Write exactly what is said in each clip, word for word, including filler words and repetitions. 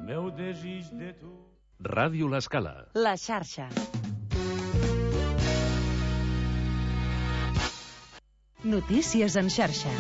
meu desig de tu. Ràdio L'Escala. La xarxa. Notícies en xarxa.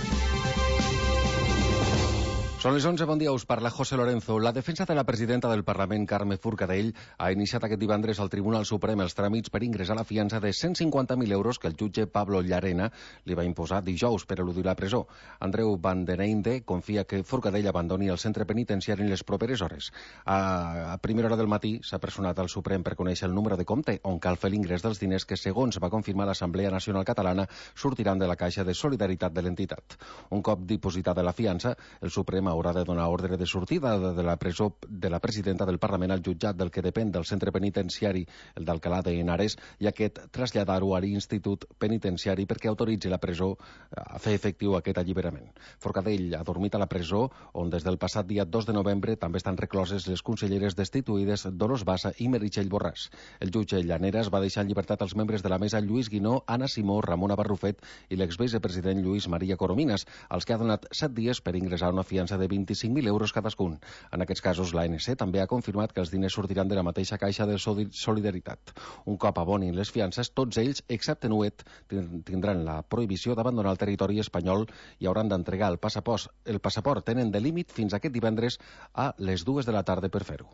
Són les onze, bon dia, us parla José Lorenzo. La defensa de la presidenta del Parlament, Carme Forcadell, ha iniciat aquest divendres al Tribunal Suprem els tràmits per ingressar la fiança de cent cinquanta mil euros que el jutge Pablo Llarena li va imposar dijous per eludir la presó. Andreu Van den Einde confia que Forcadell abandoni el centre penitenciari en les properes hores. A, a primera hora del matí s'ha personat al Suprem per conèixer el número de compte on cal fer l'ingrés dels diners que, segons va confirmar l'Assemblea Nacional Catalana, sortiran de la Caixa de Solidaritat de l'entitat. Un cop dipositada la fiança, el Suprem haurà de donar ordre de sortida de la presó de la presidenta del Parlament al jutjat del que depèn del centre penitenciari, el d'Alcalá de Henares, i aquest traslladar-ho a l'Institut Penitenciari perquè autoritzi la presó a fer efectiu aquest alliberament. Forcadell ha dormit a la presó, on des del passat dia dos de novembre també estan recloses les conselleres destituïdes Dolors Bassa i Meritxell Borràs. El jutge Llaneras va deixar en llibertat els membres de la mesa Lluís Guinó, Anna Simó, Ramona Barrufet i l'exvicepresident Lluís Maria Coromines, als que ha donat set dies per ingressar una fiança de vint-i-cinc mil euros cadascun. En aquests casos, l'A N C també ha confirmat que els diners sortiran de la mateixa Caixa de Solidaritat. Un cop abonin les fiances, tots ells, excepte Nuet, tindran la prohibició d'abandonar el territori espanyol i hauran d'entregar el passaport. El passaport tenen de límit fins aquest divendres a les dues de la tarda per fer-ho.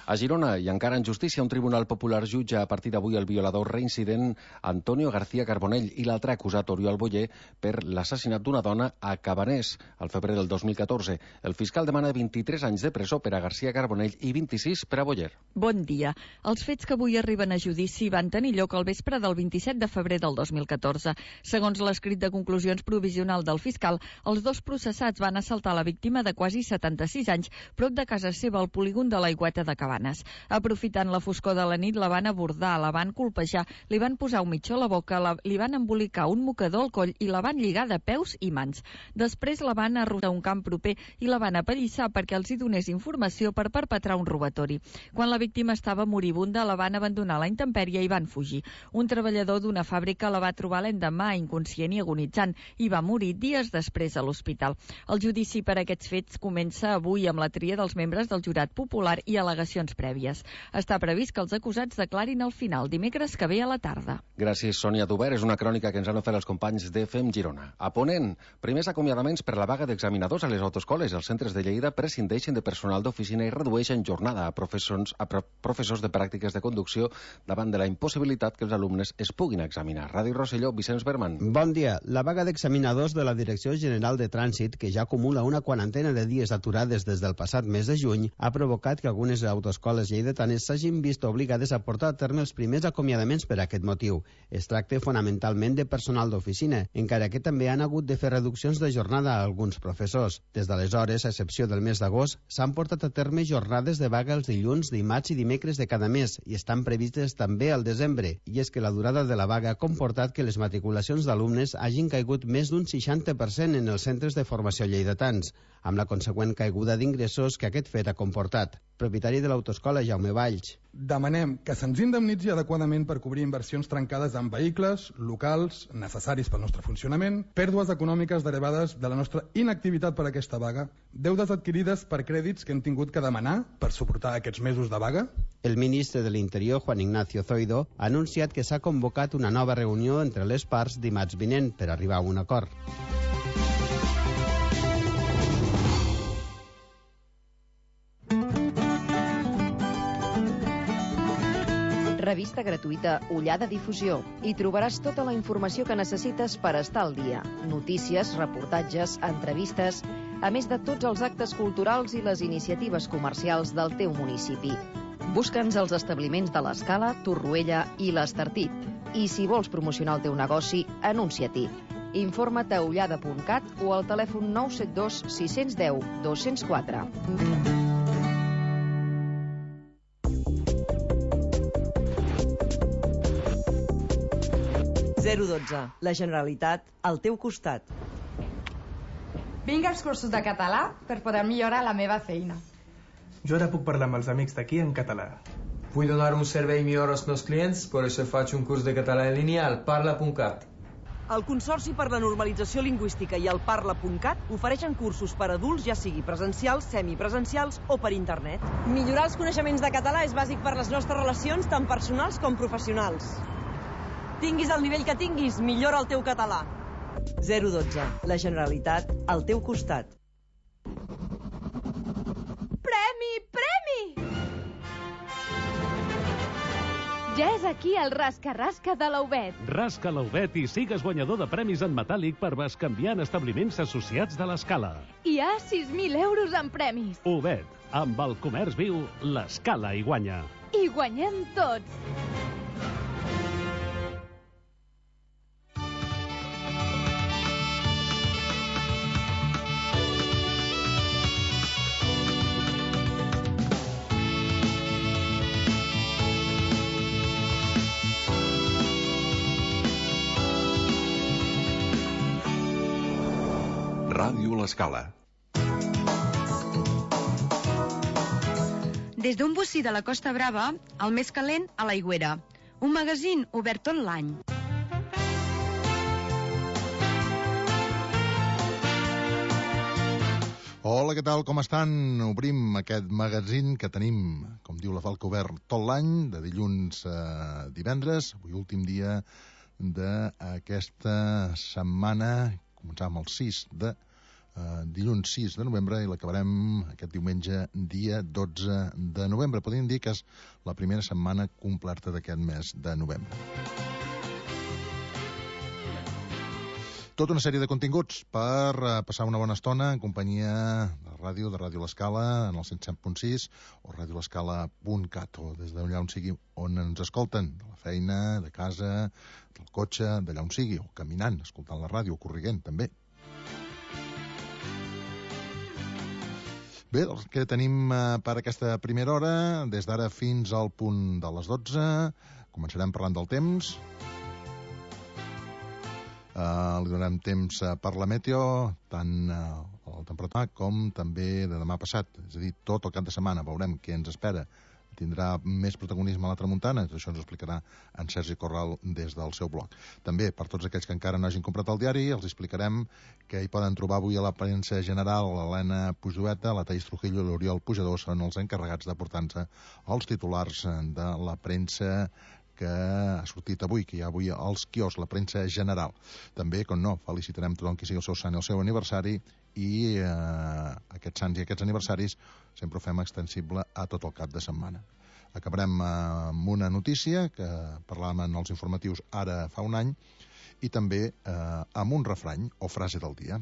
A Girona, i encara en justícia, un tribunal popular jutja a partir d'avui el violador reincident Antonio García Carbonell i l'altre acusat Oriol Boyer per l'assassinat d'una dona a Cabanés al febrer del dos mil catorze. El fiscal demana vint-i-tres anys de presó per a García Carbonell i vint-i-sis per a Boyer. Bon dia. Els fets que avui arriben a judici van tenir lloc al vespre del vint-i-set de febrer del dos mil catorze. Segons l'escrit de conclusions provisional del fiscal, els dos processats van assaltar la víctima de quasi setanta-sis anys prop de casa seva al polígon de l'Aigüeta de Cabanes. Aprofitant la foscor de la nit, la van abordar, la van colpejar, li van posar un mitjó a la boca, la, li van embolicar un mocador al coll i la van lligar de peus i mans. Després la van arrossar a un camp proper i la van apallissar perquè els hi donés informació per perpetrar un robatori. Quan la víctima estava moribunda, la van abandonar a la intempèrie i van fugir. Un treballador d'una fàbrica la va trobar l'endemà inconscient i agonitzant i va morir dies després a l'hospital. El judici per aquests fets comença avui amb la tria dels membres del jurat popular i al·legacions prèvies. Està previst que els acusats declarin al final, dimecres que ve a la tarda. Gràcies, Sònia Duber. És una crònica que ens han ofert els companys de Fem Girona. A Ponent, primers acomiadaments per la vaga d'examinadors a les autoescoles. Els centres de Lleida prescindeixen de personal d'oficina i redueixen jornada a professors, a professors de pràctiques de conducció davant de la impossibilitat que els alumnes es puguin examinar. Ràdio Rosselló, Vicenç Berman. Bon dia. La vaga d'examinadors de la Direcció General de Trànsit, que ja acumula una quarantena de dies aturades des del passat mes de juny, ha provocat que algunes autoescoles escoles lleidatanes s'hagin vist obligades a portar a terme els primers acomiadaments per a aquest motiu. Es tracta fonamentalment de personal d'oficina, encara que també han hagut de fer reduccions de jornada a alguns professors. Des d'aleshores, a excepció del mes d'agost, s'han portat a terme jornades de vaga els dilluns, dimarts i dimecres de cada mes i estan previstes també al desembre. I és que la durada de la vaga ha comportat que les matriculacions d'alumnes hagin caigut més d'un seixanta per cent en els centres de formació lleidatans, amb la consegüent caiguda d'ingressos que aquest fet ha comportat. Propietari de l'autoescola, Jaume Valls. Demanem que se'ns indemnitzi adequadament per cobrir inversions trencades en vehicles, locals, necessaris pel nostre funcionament, pèrdues econòmiques derivades de la nostra inactivitat per aquesta vaga, deudes adquirides per crèdits que hem tingut que demanar per suportar aquests mesos de vaga. El ministre de l'Interior, Juan Ignacio Zoido, ha anunciat que s'ha convocat una nova reunió entre les parts dimarts vinent per arribar a un acord. Revista gratuïta Ullada Difusió. Hi trobaràs tota la informació que necessites per estar al dia. Notícies, reportatges, entrevistes, a més de tots els actes culturals i les iniciatives comercials del teu municipi. Busca'ns als establiments de l'Escala, Torroella i l'Estartit. I si vols promocionar el teu negoci, anuncia-t'hi. Informa't a ullada punt cat o al telèfon nou set dos sis un zero dos zero quatre. zero dotze. La Generalitat al teu costat. Vinc als cursos de català per poder millorar la meva feina. Jo ara puc parlar amb els amics d'aquí en català. Vull donar un servei millor als meus clients, per això faig un curs de català en línia al parla punt cat. El Consorci per la Normalització Lingüística i el Parla punt cat ofereixen cursos per adults, ja sigui presencials, semipresencials o per internet. Millorar els coneixements de català és bàsic per les nostres relacions, tant personals com professionals. Tinguis el nivell que tinguis, millora el teu català. zero dotze. La Generalitat, al teu costat. Premi! Premi! Ja és aquí el rasca-rasca de l'Aubet. Rasca l'Aubet i sigues guanyador de premis en metàl·lic per bescanviar en establiments associats de l'Escala. Hi ha sis mil euros en premis. Aubet, amb el comerç viu, l'Escala hi guanya. I guanyem tots. Ràdio L'Escala. Des d'un bocí de la Costa Brava, el més calent a l'Aigüera. Un magazín obert tot l'any. Hola, què tal? Com estan? Obrim aquest magazín que tenim, com diu la Falca, obert tot l'any, de dilluns a divendres. Avui últim dia d'aquesta setmana. Començàvem el sis de Uh, dilluns sis de novembre i l'acabarem aquest diumenge dia dotze de novembre. Podríem dir que és la primera setmana completa d'aquest mes de novembre. Tota una sèrie de continguts per uh, passar una bona estona en companyia de ràdio, de Ràdio L'Escala en el cent set punt sis o ràdio l'escala punt cat o des d'allà on sigui on ens escolten, de la feina, de casa, del cotxe, d'allà on sigui, o caminant, escoltant la ràdio, o corriguent també. Bé, el que tenim eh, per aquesta primera hora, des d'ara fins al punt de les dotze, començarem parlant del temps. Eh, li donarem temps eh, per la meteo, tant eh, la temperatura com també de demà passat. És a dir, tot el cap de setmana veurem què ens espera. Tindrà més protagonisme a la tramuntana, això ens ho explicarà en Sergi Corral des del seu blog. També, per tots aquells que encara no hagin comprat el diari, els explicarem que hi poden trobar avui a la premsa general l'Helena Pujoeta, la Taís Trujillo i l'Oriol Pujador són els encarregats de portar-nos els titulars de la premsa que ha sortit avui, que hi ha avui als quioscs, la premsa general. També, com no, felicitarem tothom qui sigui el seu sant i el seu aniversari i eh, aquests sants i aquests aniversaris sempre ho fem extensible a tot el cap de setmana. Acabarem eh, amb una notícia que parlàvem en els informatius ara fa un any i també eh, amb un refrany o frase del dia.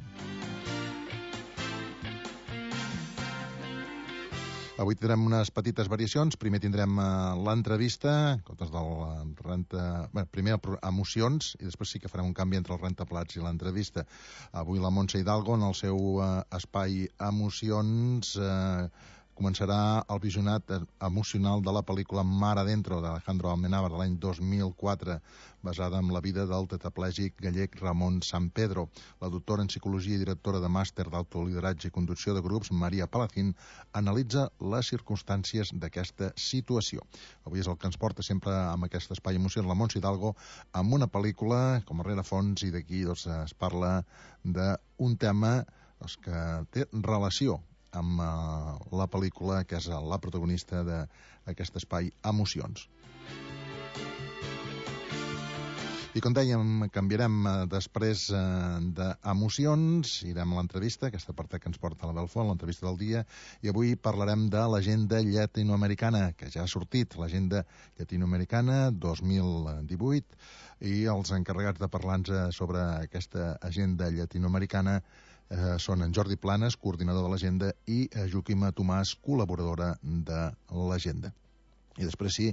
Avui tindrem unes petites variacions. Primer tindrem uh, l'entrevista, en comptes del renta... Bé, primer emocions, i després sí que farem un canvi entre el rentaplats i l'entrevista. Avui la Montse Hidalgo, en el seu uh, espai emocions, uh, començarà el visionat emocional de la pel·lícula Mar Adentro, d'Alejandro Amenábar, de l'any dos mil quatre, basada en la vida del tetraplègic gallec Ramon Sampedro. La doctora en psicologia i directora de màster d'autolideratge i conducció de grups, Maria Palacín, analitza les circumstàncies d'aquesta situació. Avui és el que ens porta sempre amb aquest espai emocions, la Montse Hidalgo, amb una pel·lícula com a rerefons, i d'aquí doncs, es parla d'un tema doncs, que té relació amb uh, la pel·lícula, que és la protagonista d'aquest espai emocions. I com dèiem, canviarem uh, després uh, d'emocions, irem a l'entrevista, aquesta part que ens porta la Belfont, l'entrevista del dia, i avui parlarem de l'agenda llatinoamericana, que ja ha sortit, l'agenda llatinoamericana dos mil divuit, i els encarregats de parlar-nos sobre aquesta agenda llatinoamericana Eh, són en Jordi Planes, coordinador de l'agenda, i eh, Joaquima Tomàs, col·laboradora de l'agenda. I després sí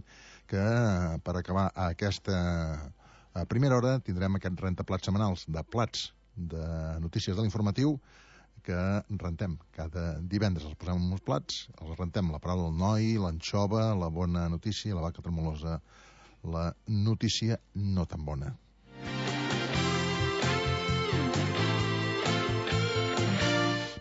que eh, per acabar aquesta eh, primera hora tindrem aquests rentaplats setmanals de plats de notícies de l'informatiu que rentem cada divendres. Els posem en uns plats, els rentem la paraula del noi, l'anxova, la bona notícia, la vaca tremolosa, la notícia no tan bona.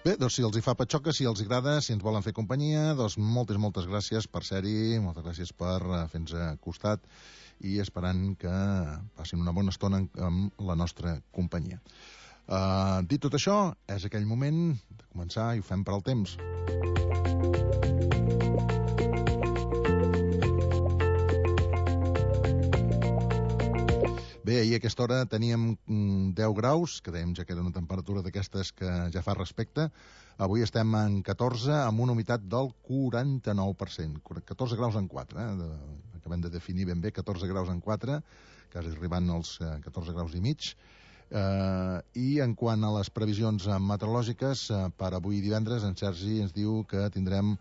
Bé, doncs si els hi fa patxoca, si els hi agrada, si ens volen fer companyia, doncs moltes, moltes gràcies per ser-hi, moltes gràcies per fer-nos costat i esperant que passin una bona estona amb la nostra companyia. Uh, dit tot això, és aquell moment de començar i ho fem per al temps. Bé, ahir a aquesta hora teníem deu graus, que dèiem ja que era una temperatura d'aquestes que ja fa respecte. Avui estem en catorze, amb una humitat del quaranta-nou per cent. catorze graus en quatre, eh? Acabem de definir ben bé catorze graus en quatre, quasi arribant als catorze graus i mig. Uh, I en quant a les previsions meteorològiques, uh, per avui divendres, en Sergi ens diu que tindrem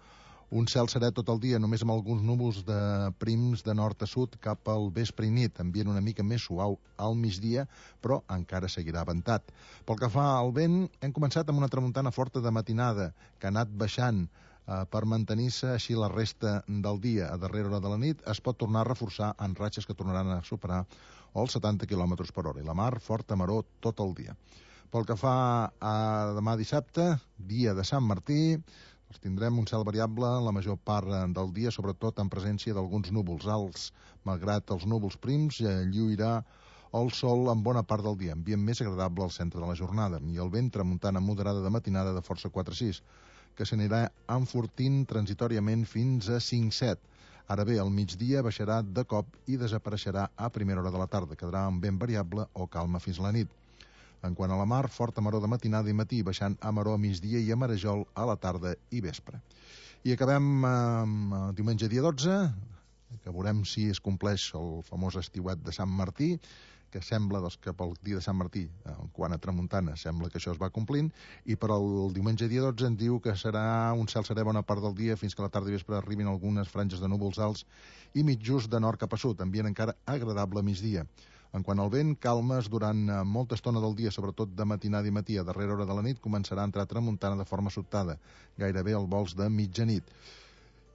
un cel serè tot el dia, només amb alguns núvols de prims de nord a sud cap al vespre i nit, ambient una mica més suau al migdia, però encara seguirà ventat. Pel que fa al vent, hem començat amb una tramuntana forta de matinada, que ha anat baixant eh, per mantenir-se així la resta del dia. A darrera hora de la nit es pot tornar a reforçar en ratxes que tornaran a superar els setanta quilòmetres per hora. I la mar, forta maror tot el dia. Pel que fa a demà dissabte, dia de Sant Martí, tindrem un cel variable la major part del dia, sobretot en presència d'alguns núvols alts. Malgrat els núvols prims, lluirà el sol en bona part del dia, ambient més agradable al centre de la jornada, i el vent tramuntana moderada de matinada de força quatre sis, que s'anirà enfortint transitoriament fins a cinc set. Ara bé, al migdia baixarà de cop i desapareixerà a primera hora de la tarda, quedarà en vent variable o calma fins la nit. En quant a la mar, forta maror de matinada i matí, baixant a maror a migdia i a marejol a la tarda i vespre. I acabem amb eh, diumenge dia dotze, que veurem si es compleix el famós estiuet de Sant Martí, que sembla doncs, que pel dia de Sant Martí, eh, quan a tramuntana, sembla que això es va complint, i per al diumenge dia dotze en diu que serà un cel serè bona part del dia fins que a la tarda i vespre arribin algunes franges de núvols alts i mitjos de nord cap a sud, ambient encara agradable a migdia. En quant al vent, calmes durant molta estona del dia, sobretot de matinada i matí. A darrera hora de la nit començarà a entrar tramuntana de forma sobtada, gairebé al vols de mitjanit.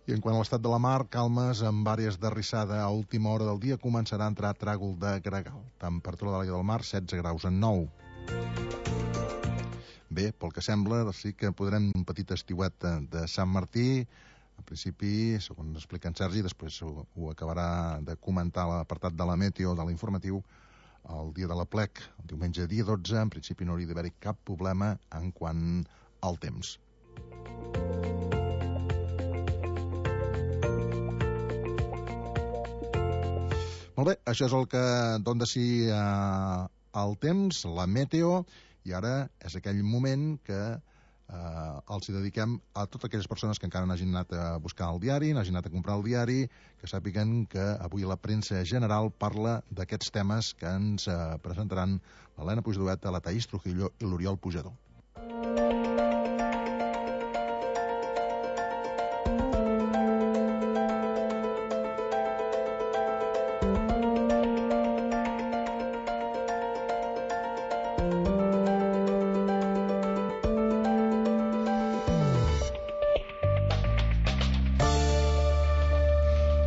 I en quant a l'estat de la mar, calmes amb àrees de rissada a última hora del dia, començarà a entrar tràgol de gregal. Temperatura de l'aigua del mar, setze graus en nou. Bé, pel que sembla, sí que podrem un petit estiuet de Sant Martí. En principi, segons explica en Sergi, després ho, ho acabarà de comentar l'apartat de la meteo, de l'informatiu, el dia de la plec, el diumenge dia dotze, en principi no hauria d'haver-hi cap problema en quant al temps. Molt bé, això és el que dona de si eh, el temps, la meteo, i ara és aquell moment que Uh, els hi dediquem a totes aquelles persones que encara no hagin anat a buscar el diari, no hagin anat a comprar el diari, que sàpiguen que avui la premsa general parla d'aquests temes que ens uh, presentaran l'Helena Puigdovet, la Taís Trujillo i l'Oriol Pujador.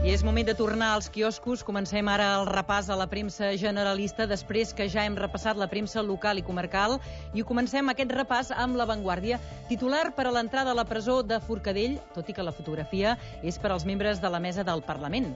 És moment de tornar als quioscos. Comencem ara el repàs a la premsa generalista després que ja hem repassat la premsa local i comarcal, i comencem aquest repàs amb La Vanguardia. Titular per a l'entrada a la presó de Forcadell, tot i que la fotografia és per als membres de la mesa del Parlament,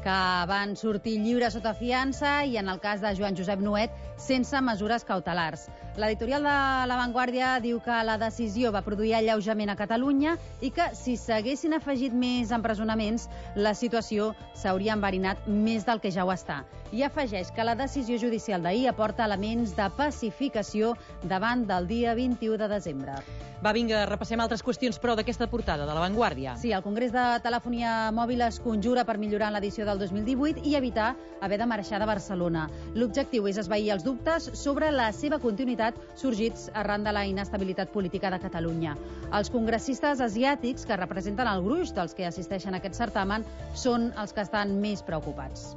que van sortir lliures sota fiança i, en el cas de Joan Josep Nuet, sense mesures cautelars. L'editorial de La Vanguardia diu que la decisió va produir alleujament a Catalunya i que, si s'haguessin afegit més empresonaments, la situació s'hauria enverinat més del que ja ho està. I afegeix que la decisió judicial d'ahir aporta elements de pacificació davant del dia vint-i-u de desembre. Va, vinga, repassem altres qüestions, però, d'aquesta portada de La Vanguardia. Sí, el Congrés de Telefonia Mòbil es conjura per millorar l'edició del dos mil divuit i evitar haver de marxar de Barcelona. L'objectiu és esvair els dubtes sobre la seva continuïtat sorgits arran de la inestabilitat política de Catalunya. Els congressistes asiàtics, que representen el gruix dels que assisteixen a aquest certamen, són els que estan més preocupats.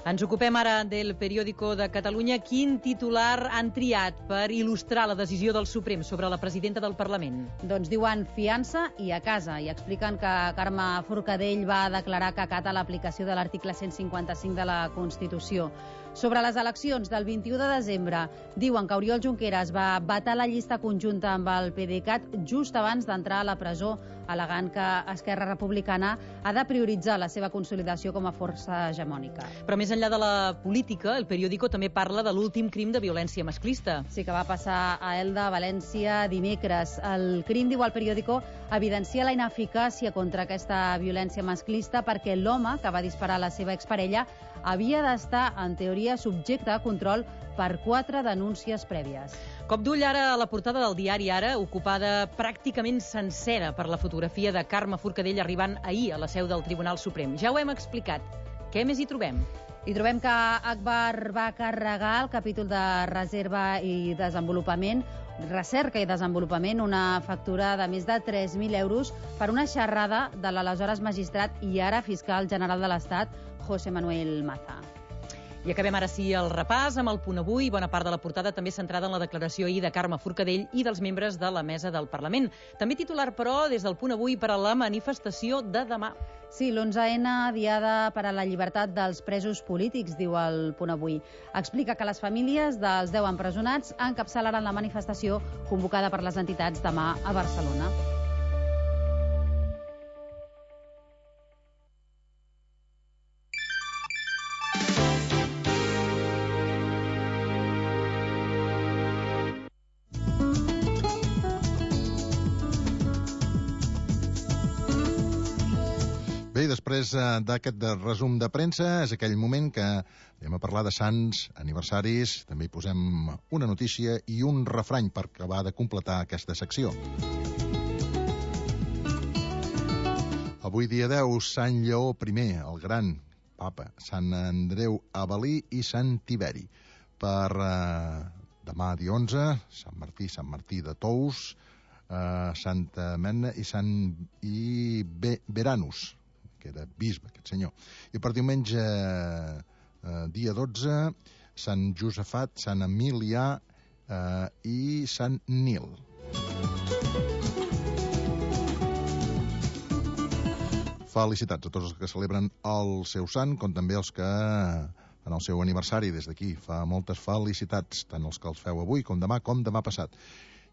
Ens ocupem ara del Periódico de Catalunya. Quin titular han triat per il·lustrar la decisió del Suprem sobre la presidenta del Parlament? Doncs diuen fiança i a casa, i expliquen que Carme Forcadell va declarar que acata l'aplicació de l'article cent cinquanta-cinc de la Constitució. Sobre les eleccions del vint-i-u de desembre, diuen que Oriol Junqueras va vetar la llista conjunta amb el PDeCAT just abans d'entrar a la presó, al·legant que Esquerra Republicana ha de prioritzar la seva consolidació com a força hegemònica. Però més enllà de la política, el periòdico també parla de l'últim crim de violència masclista. Sí, que va passar a Elda, València, dimecres. El crim, diu el periòdico, evidencia la ineficàcia contra aquesta violència masclista perquè l'home que va disparar a la seva exparella havia d'estar, en teoria, subjecte a control per quatre denúncies prèvies. Cop d'ull ara a la portada del diari Ara, ocupada pràcticament sencera per la fotografia de Carme Forcadell arribant ahir a la seu del Tribunal Suprem. Ja ho hem explicat. Què més hi trobem? Hi trobem que Akbar va carregar el capítol de reserva i desenvolupament, recerca i desenvolupament, una factura de més de tres mil euros per una xerrada de l'aleshores magistrat i ara fiscal general de l'Estat, José Manuel Maza. I acabem ara sí el repàs amb el punt avui, bona part de la portada també centrada en la declaració ahir de Carme Forcadell i dels membres de la mesa del Parlament. També titular, però, des del punt avui per a la manifestació de demà. Sí, l'onze ena, diada per a la llibertat dels presos polítics, diu el punt avui. Explica que les famílies dels deu empresonats encapçalaran la manifestació convocada per les entitats demà a Barcelona. Bé, després d'aquest resum de premsa, és aquell moment que anem a parlar de sants, aniversaris, també hi posem una notícia i un refrany per acabar de completar aquesta secció. Avui dia deu, Sant Lleó primer, el gran papa, Sant Andreu Avel·lí i Sant Tiberi. Per eh, demà, dia onze, Sant Martí, Sant Martí de Tous, eh, Santa Mena i Sant i Be Beranus, que era bisbe, aquest senyor. I per diumenge, eh, dia dotze, Sant Josafat, Sant Emilià eh, i Sant Nil. Felicitats a tots els que celebren el seu sant, com també els que en el seu aniversari des d'aquí. Fa moltes felicitats, tant els que els feu avui com demà, com demà passat.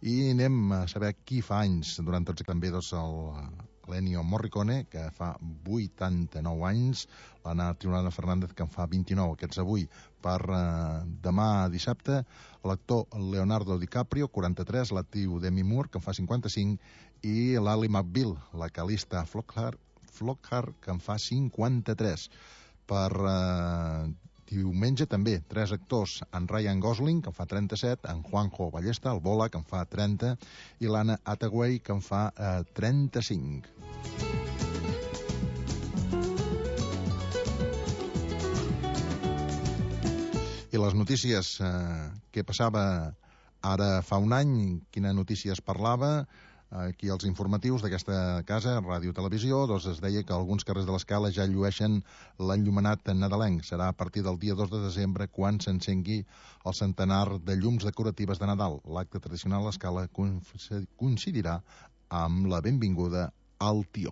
I anem a saber qui fa anys durant tots, també doncs, el l'Ennio Morricone, que fa vuitanta-nou anys, l'Anna Trionada Fernández, que en fa vint-i-nou, aquests avui. Per eh, demà dissabte, l'actor Leonardo DiCaprio, quaranta-tres, l'actriu Demi Moore, que en fa cinquanta-cinc, i l'Ally McBeal, la Calista Flockhart, Flockhart, que en fa cinquanta-tres. Per eh, diumenge també, tres actors, en Ryan Gosling, que en fa trenta-set, en Juanjo Ballesta, el Bola, que en fa trenta, i l'Anna Hathaway, que en fa eh, trenta-cinc. I les notícies, eh, què passava ara fa un any, quina notícia es parlava, aquí als informatius d'aquesta casa, Ràdio Televisió, doncs es deia que alguns carrers de l'Escala ja llueixen l'enllumenat nadalenc. Serà a partir del dia dos de desembre quan s'encengui el centenar de llums decoratives de Nadal. L'acte tradicional a l'Escala coincidirà amb la benvinguda al Tió.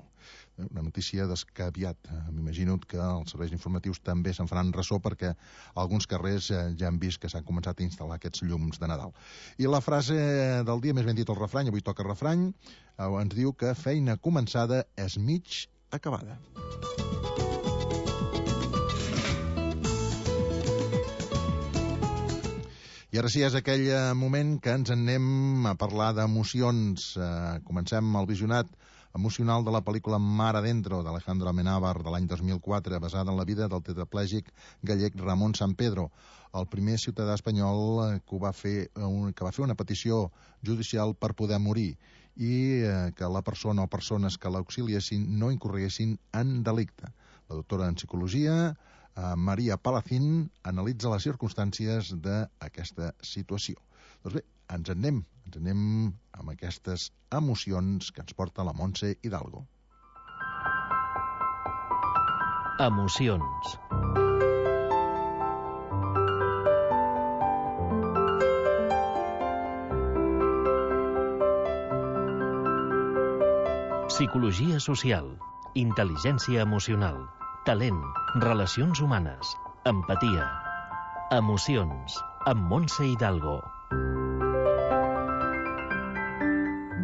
Una notícia descaviat. M'imagino que els serveis informatius també se'n faran ressò perquè alguns carrers ja han vist que s'han començat a instal·lar aquests llums de Nadal. I la frase del dia, més ben dit el refrany, avui toca refrany, ens diu que feina començada és mig acabada. I ara sí, és aquell moment que ens anem a parlar d'emocions. Comencem el visionat emocional de la pel·lícula Mar Adentro, d'Alejandro Amenábar, de l'any dos mil quatre, basada en la vida del tetraplègic gallec Ramon Sampedro, el primer ciutadà espanyol que va fer, que va fer una petició judicial per poder morir i que la persona o persones que l'auxiliessin no incorreguessin en delicte. La doctora en psicologia, Maria Palacín, analitza les circumstàncies d'aquesta situació. Doncs bé, ens en anem, ens anem amb aquestes emocions que ens porta la Montse Hidalgo. Emocions. Psicologia social, intel·ligència emocional, talent, relacions humanes, empatia. Emocions, amb Montse Hidalgo.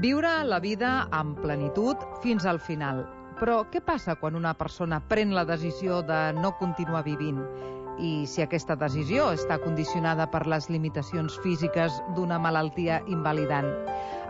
Viure la vida amb plenitud fins al final. Però què passa quan una persona pren la decisió de no continuar vivint? I si aquesta decisió està condicionada per les limitacions físiques d'una malaltia invalidant?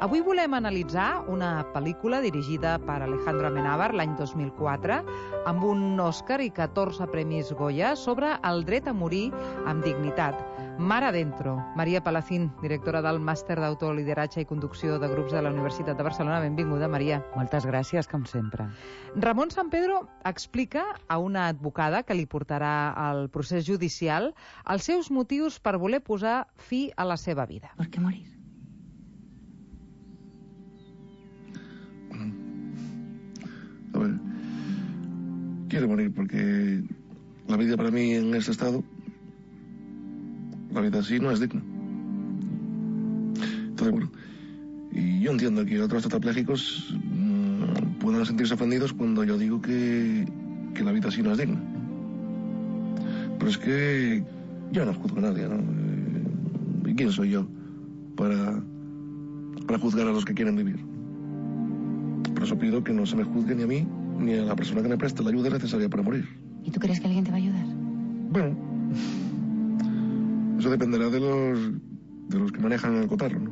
Avui volem analitzar una pel·lícula dirigida per Alejandro Amenábar l'any dos mil quatre, amb un Òscar i catorze premis Goya sobre el dret a morir amb dignitat. Mar adentro. Maria Palacín, directora del Màster d'Autolideratge i Conducció de Grups de la Universitat de Barcelona. Benvinguda, Maria. Moltes gràcies, com sempre. Ramon Sampedro explica a una advocada que li portarà al procés judicial els seus motius per voler posar fi a la seva vida. ¿Por qué morir? A ver, quiero morir porque la vida para mí en este estado, la vida así no es digna. Entonces, bueno, y yo entiendo que otros tetrapléjicos mmm, puedan sentirse ofendidos cuando yo digo que, que la vida así no es digna. Pero es que yo no juzgo a nadie, ¿no? ¿Y quién soy yo para, para juzgar a los que quieren vivir? Por eso pido que no se me juzgue ni a mí ni a la persona que me preste la ayuda necesaria para morir. ¿Y tú crees que alguien te va a ayudar? Bueno, eso dependerá de los, de los que manejan el cotarro, ¿no?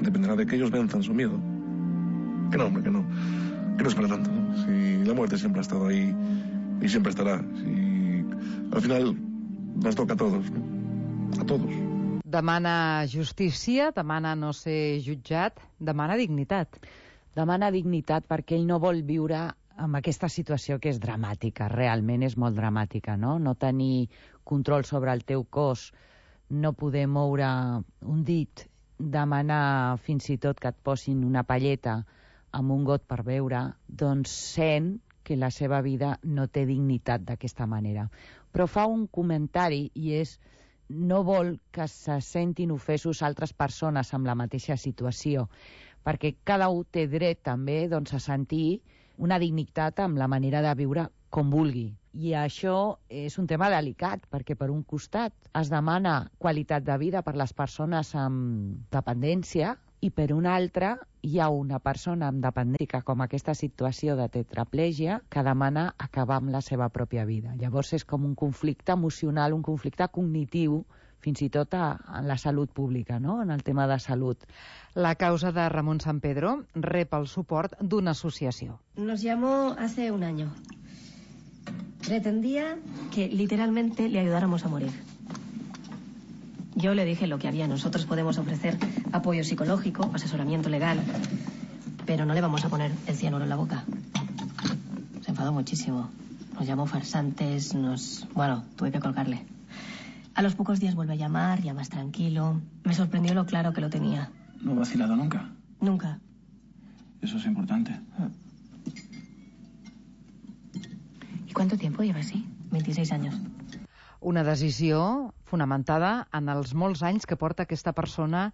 Dependerá de que ellos venzan su miedo. Que no, hombre, que no. Que no es para tanto, ¿no? Si la muerte siempre ha estado ahí y siempre estará. Si al final nos toca a todos, ¿no? A todos. Demana justícia, demana no ser jutjat, demana dignitat. Demana dignitat perquè ell no vol viure amb aquesta situació que és dramàtica, realment és molt dramàtica, no? No tenir control sobre el teu cos, no poder moure un dit, demanar fins i tot que et posin una palleta amb un got per beure, doncs sent que la seva vida no té dignitat d'aquesta manera. Però fa un comentari i és no vol que se sentin ofesos altres persones amb la mateixa situació, perquè cada un té dret també doncs, a sentir una dignitat amb la manera de viure com vulgui. I això és un tema delicat, perquè per un costat es demana qualitat de vida per les persones amb dependència i per un altre hi ha una persona amb dependència com aquesta situació de tetraplègia que demana acabar amb la seva pròpia vida. Llavors és com un conflicte emocional, un conflicte cognitiu, fins i tot a, en la salut pública, no? En el tema de salut. La causa de Ramon Sampedro rep el suport d'una associació. Nos llamó hace un año. Pretendía que literalmente le ayudáramos a morir. Yo le dije lo que había. Nosotros podemos ofrecer apoyo psicológico, asesoramiento legal, pero no le vamos a poner el cianuro en la boca. Se enfadó muchísimo. Nos llamó farsantes, nos... Bueno, tuve que colgarle. A los pocos días vuelve a llamar, ya más tranquilo. Me sorprendió lo claro que lo tenía. ¿No ha vacilado nunca? Nunca. Eso es importante. ¿Y cuánto tiempo lleva así? veintiséis años. Una decisió fonamentada en els molts anys que porta aquesta persona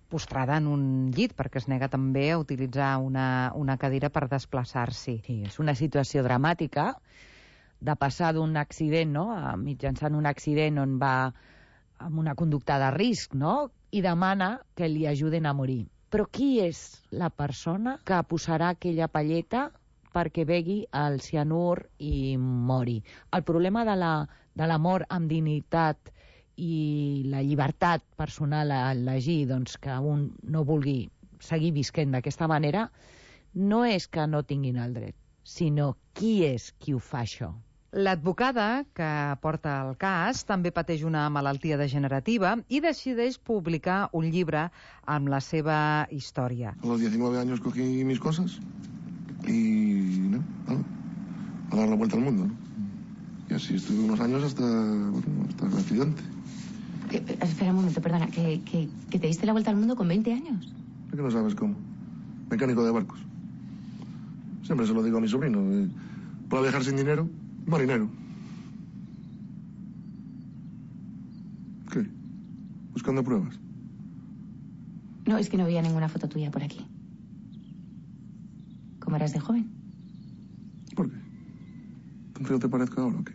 postrada en un llit, perquè es nega també a utilitzar una, una cadira per desplaçar-s'hi. Sí, és una situació dramàtica de passar d'un accident, no?, a mitjançant un accident on va amb una conducta de risc, no?, i demana que li ajuden a morir. Però qui és la persona que posarà aquella palleta perquè begui el cianur i mori? El problema de la, de la mort amb dignitat i la llibertat personal a elegir, doncs, que un no vulgui seguir visquent d'aquesta manera, no és que no tinguin el dret, sinó qui és qui ho fa això. L'advocada que porta el cas també pateix una malaltia degenerativa i decideix publicar un llibre amb la seva història. A los diecinueve años cogí mis cosas y ¿no? a dar la vuelta al mundo, ¿no? Y así estuve unos años hasta, bueno, hasta el accidente. ¿Qué? Espera un momento, perdona, ¿que, que, que te diste la vuelta al mundo con veinte años? Es que no sabes cómo. Mecánico de barcos. Siempre se lo digo a mi sobrino. Eh, para viajar sin dinero, marinero. ¿Qué? ¿Buscando pruebas? No, es que no veía ninguna foto tuya por aquí. ¿Cómo eras de joven? ¿Por qué? ¿Tan feo te parezco ahora o qué?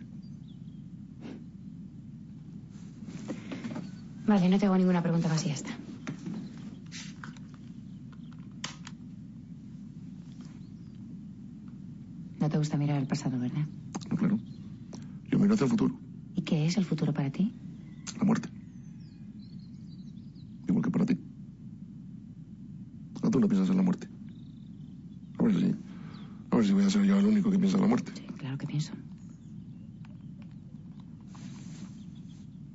Vale, no tengo ninguna pregunta más y ya está. No te gusta mirar al pasado, ¿verdad? No, claro. Yo miro hacia el futuro. ¿Y qué es el futuro para ti? La muerte. Igual que para ti. ¿A tú no piensas en la muerte? A ver si... A ver si voy a ser yo el único que piensa en la muerte. Sí, claro que pienso.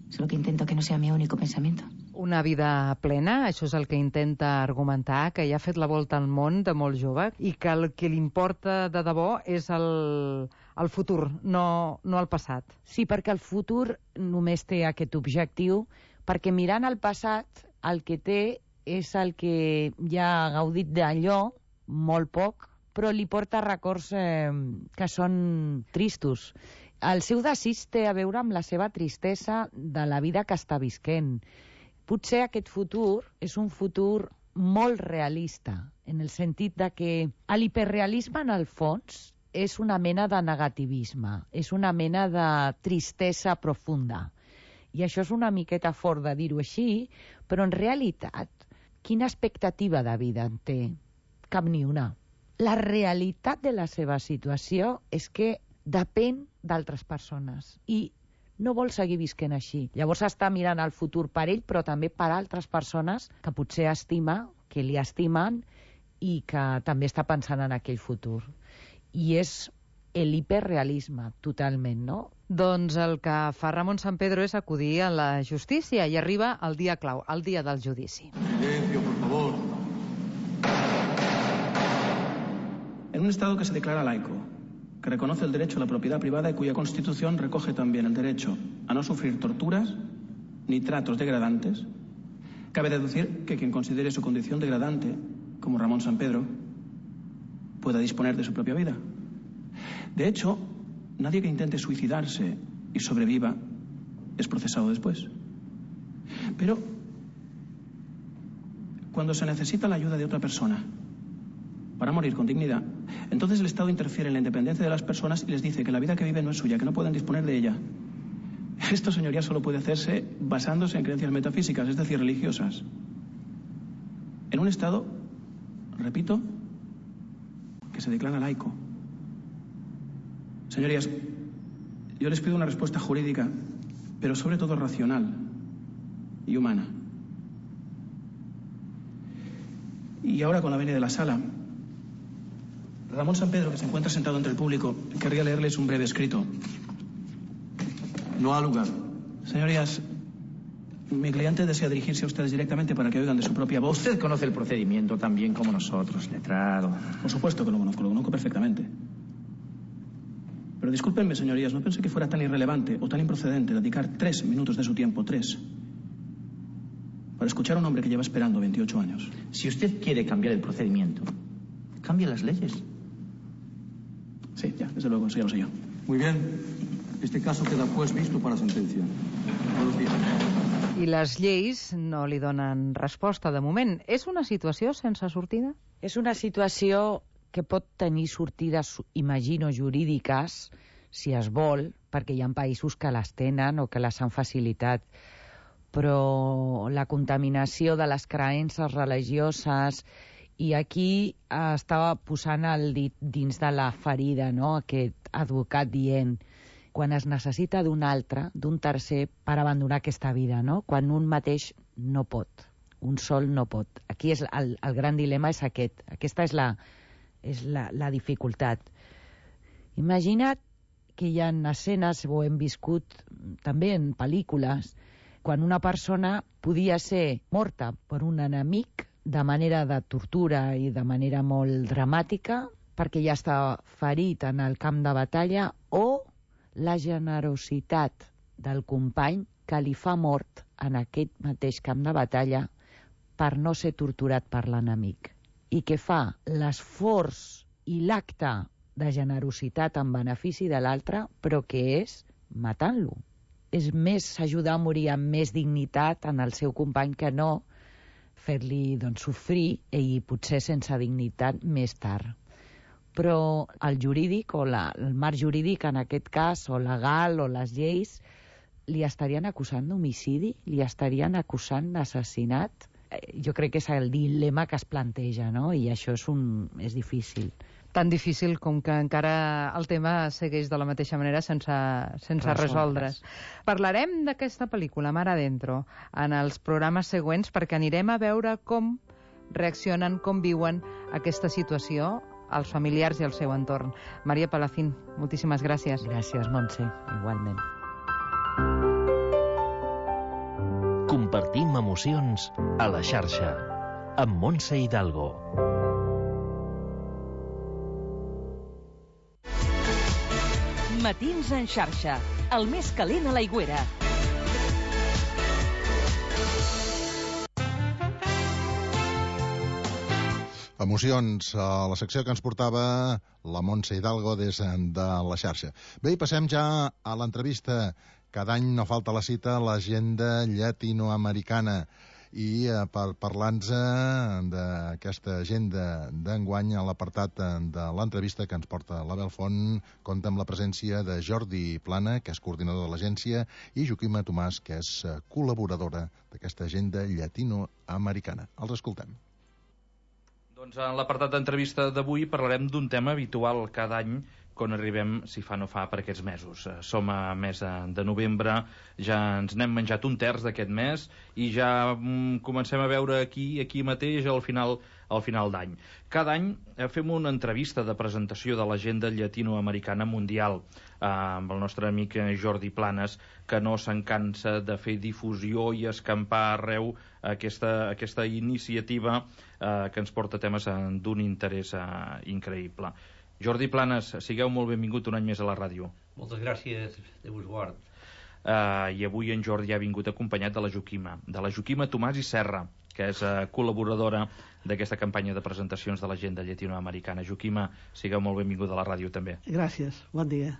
Solo que intento que no sea mi único pensamiento. Una vida plena, això és el que intenta argumentar, que ja ha fet la volta al món de molt jove i que el que li importa de debò és el, el futur, no, no el passat. Sí, perquè el futur només té aquest objectiu, perquè mirant el passat el que té és el que ja ha gaudit d'allò, molt poc, però li porta records eh, que són tristos. El seu desig té a veure amb la seva tristesa de la vida que està visquent. Potser aquest futur és un futur molt realista, en el sentit de que l'hiperrealisme, en el fons, és una mena de negativisme, és una mena de tristesa profunda. I això és una miqueta fort de dir-ho així, però en realitat, quina expectativa de vida en té? Cap ni una. La realitat de la seva situació és que depèn d'altres persones i no vol seguir visquent així. Llavors està mirant el futur per ell, però també per altres persones que potser estima, que li estimen i que també està pensant en aquell futur. I és l'hiperrealisme, totalment, no? Doncs el que fa Ramon Sampedro és acudir a la justícia i arriba el dia clau, el dia del judici. Silencio, por favor. En un Estado que se declara laico, que reconoce el derecho a la propiedad privada y cuya Constitución recoge también el derecho a no sufrir torturas ni tratos degradantes, cabe deducir que quien considere su condición degradante, como Ramón Sampedro, pueda disponer de su propia vida. De hecho, nadie que intente suicidarse y sobreviva es procesado después. Pero, cuando se necesita la ayuda de otra persona para morir con dignidad, entonces el Estado interfiere en la independencia de las personas y les dice que la vida que viven no es suya, que no pueden disponer de ella. Esto, señoría, solo puede hacerse basándose en creencias metafísicas, es decir, religiosas. En un Estado, repito, que se declara laico. Señorías, yo les pido una respuesta jurídica, pero sobre todo racional y humana. Y ahora, con la venia de la sala, Ramón Sampedro, que se encuentra sentado entre el público, querría leerles un breve escrito. No ha lugar. Señorías, mi cliente desea dirigirse a ustedes directamente para que oigan de su propia voz. Usted conoce el procedimiento tan bien como nosotros, letrado. Por supuesto que lo conozco, lo conozco perfectamente. Pero discúlpenme, señorías, no pensé que fuera tan irrelevante o tan improcedente dedicar tres minutos de su tiempo, tres, para escuchar a un hombre que lleva esperando veintiocho años. Si usted quiere cambiar el procedimiento, cambie las leyes. Sí, ya, desde luego, eso ya lo sé yo. Muy bien. Este caso queda pues visto para sentencia. Buenos días. I les lleis no li donen resposta de moment. És una situació sense sortida? És una situació que pot tenir sortides, imagino, jurídiques, si es vol, perquè hi ha països que les tenen o que les han facilitat. Però la contaminació de les creences religioses, i aquí estava posant el dit dins de la ferida, no? Aquest advocat dient quan es necessita d'un altre, d'un tercer, per abandonar aquesta vida, no? Quan un mateix no pot, un sol no pot. Aquí és el, el gran dilema és aquest, aquesta és la, és la, la dificultat. Imagina't que hi ha escenes, ho hem viscut també en pel·lícules, quan una persona podia ser morta per un enemic de manera de tortura i de manera molt dramàtica, perquè ja està ferit en el camp de batalla, o la generositat del company que li fa mort en aquest mateix camp de batalla per no ser torturat per l'enemic. I que fa l'esforç i l'acte de generositat en benefici de l'altre, però que és matant-lo. És més ajudar a morir amb més dignitat en el seu company que no fer-li doncs, sofrir i potser sense dignitat més tard. Però el jurídic o la, el marc jurídic en aquest cas, o legal, o les lleis, li estarien acusant d'homicidi? Li estarien acusant d'assassinat? Jo crec que és el dilema que es planteja, no? I això és, un, és difícil. Tan difícil com que encara el tema segueix de la mateixa manera sense, sense resoldre's. Parlarem d'aquesta pel·lícula, Mar Adentro, en els programes següents, perquè anirem a veure com reaccionen, com viuen aquesta situació els familiars i el seu entorn. Maria Palacín, moltíssimes gràcies. Gràcies, Montse, igualment. Compartim emocions a la xarxa, amb Montse Hidalgo. Matins en xarxa, el més calent a l'Aigüera. Emocions, a la secció que ens portava la Montse Hidalgo des de la xarxa. Bé, i passem ja a l'entrevista. Cada any no falta la cita a l'agenda llatinoamericana. I eh, per parlar-nos d'aquesta agenda d'enguany, a l'apartat de l'entrevista que ens porta l'Abel Font, compta amb la presència de Jordi Plana, que és coordinador de l'agència, i Joaquima Tomàs, que és col·laboradora d'aquesta agenda llatinoamericana. Els escoltem. Doncs en l'apartat d'entrevista d'avui parlarem d'un tema habitual cada any quan arribem, si fa no fa, per aquests mesos. Som a mes de novembre, ja ens n'hem menjat un terç d'aquest mes i ja mm, comencem a veure aquí, aquí mateix, al final, al final d'any. Cada any fem una entrevista de presentació de l'agenda llatinoamericana mundial eh, amb el nostre amic Jordi Planes, que no se'n cansa de fer difusió i escampar arreu aquesta, aquesta iniciativa eh, que ens porta temes d'un interès eh, increïble. Jordi Planes, sigueu molt benvingut un any més a la ràdio. Moltes gràcies, Déu us guard. Uh, I avui en Jordi ha vingut acompanyat de la Joaquima, de la Joaquima Tomàs i Serra, que és uh, col·laboradora d'aquesta campanya de presentacions de l'agenda llatinoamericana. Joaquima, sigueu molt benvinguda a la ràdio també. Gràcies, bon dia.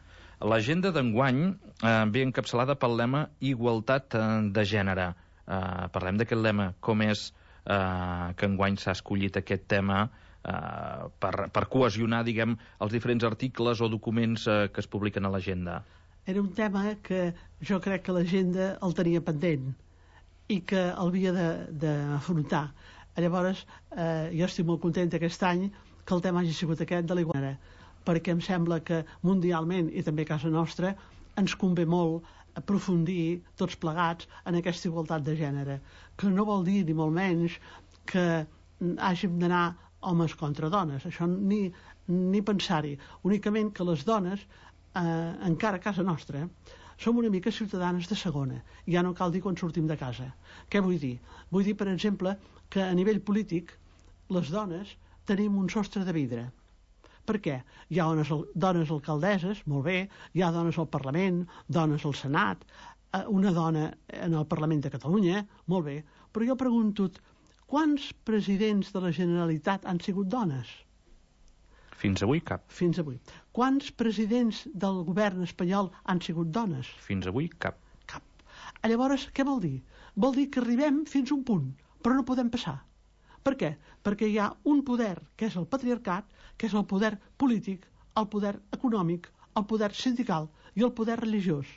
L'agenda d'enguany uh, ve encapçalada pel lema Igualtat uh, de gènere. Uh, parlem d'aquest lema, com és uh, que enguany s'ha escollit aquest tema Uh, per, per cohesionar, diguem, els diferents articles o documents uh, que es publiquen a l'agenda. Era un tema que jo crec que l'agenda el tenia pendent i que l'havia d'afrontar. Llavors, eh, jo estic molt contenta aquest any que el tema hagi sigut aquest de l'igualtat, perquè em sembla que mundialment, i també a casa nostra, ens convé molt aprofundir tots plegats en aquesta igualtat de gènere, que no vol dir, ni molt menys, que hàgim d'anar homes contra dones, això ni, ni pensar-hi, únicament que les dones, eh, encara a casa nostra, som una mica ciutadanes de segona, ja no cal dir quan sortim de casa. Què vull dir? Vull dir, per exemple, que a nivell polític les dones tenim un sostre de vidre. Per què? Hi ha dones, dones alcaldesses, molt bé, hi ha dones al Parlament, dones al Senat, eh, una dona en el Parlament de Catalunya, molt bé, però jo pregunto, quants presidents de la Generalitat han sigut dones? Fins avui cap. Fins avui. Quants presidents del govern espanyol han sigut dones? Fins avui cap. Cap. Llavors, què vol dir? Vol dir que arribem fins a un punt, però no podem passar. Per què? Perquè hi ha un poder, que és el patriarcat, que és el poder polític, el poder econòmic, el poder sindical i el poder religiós.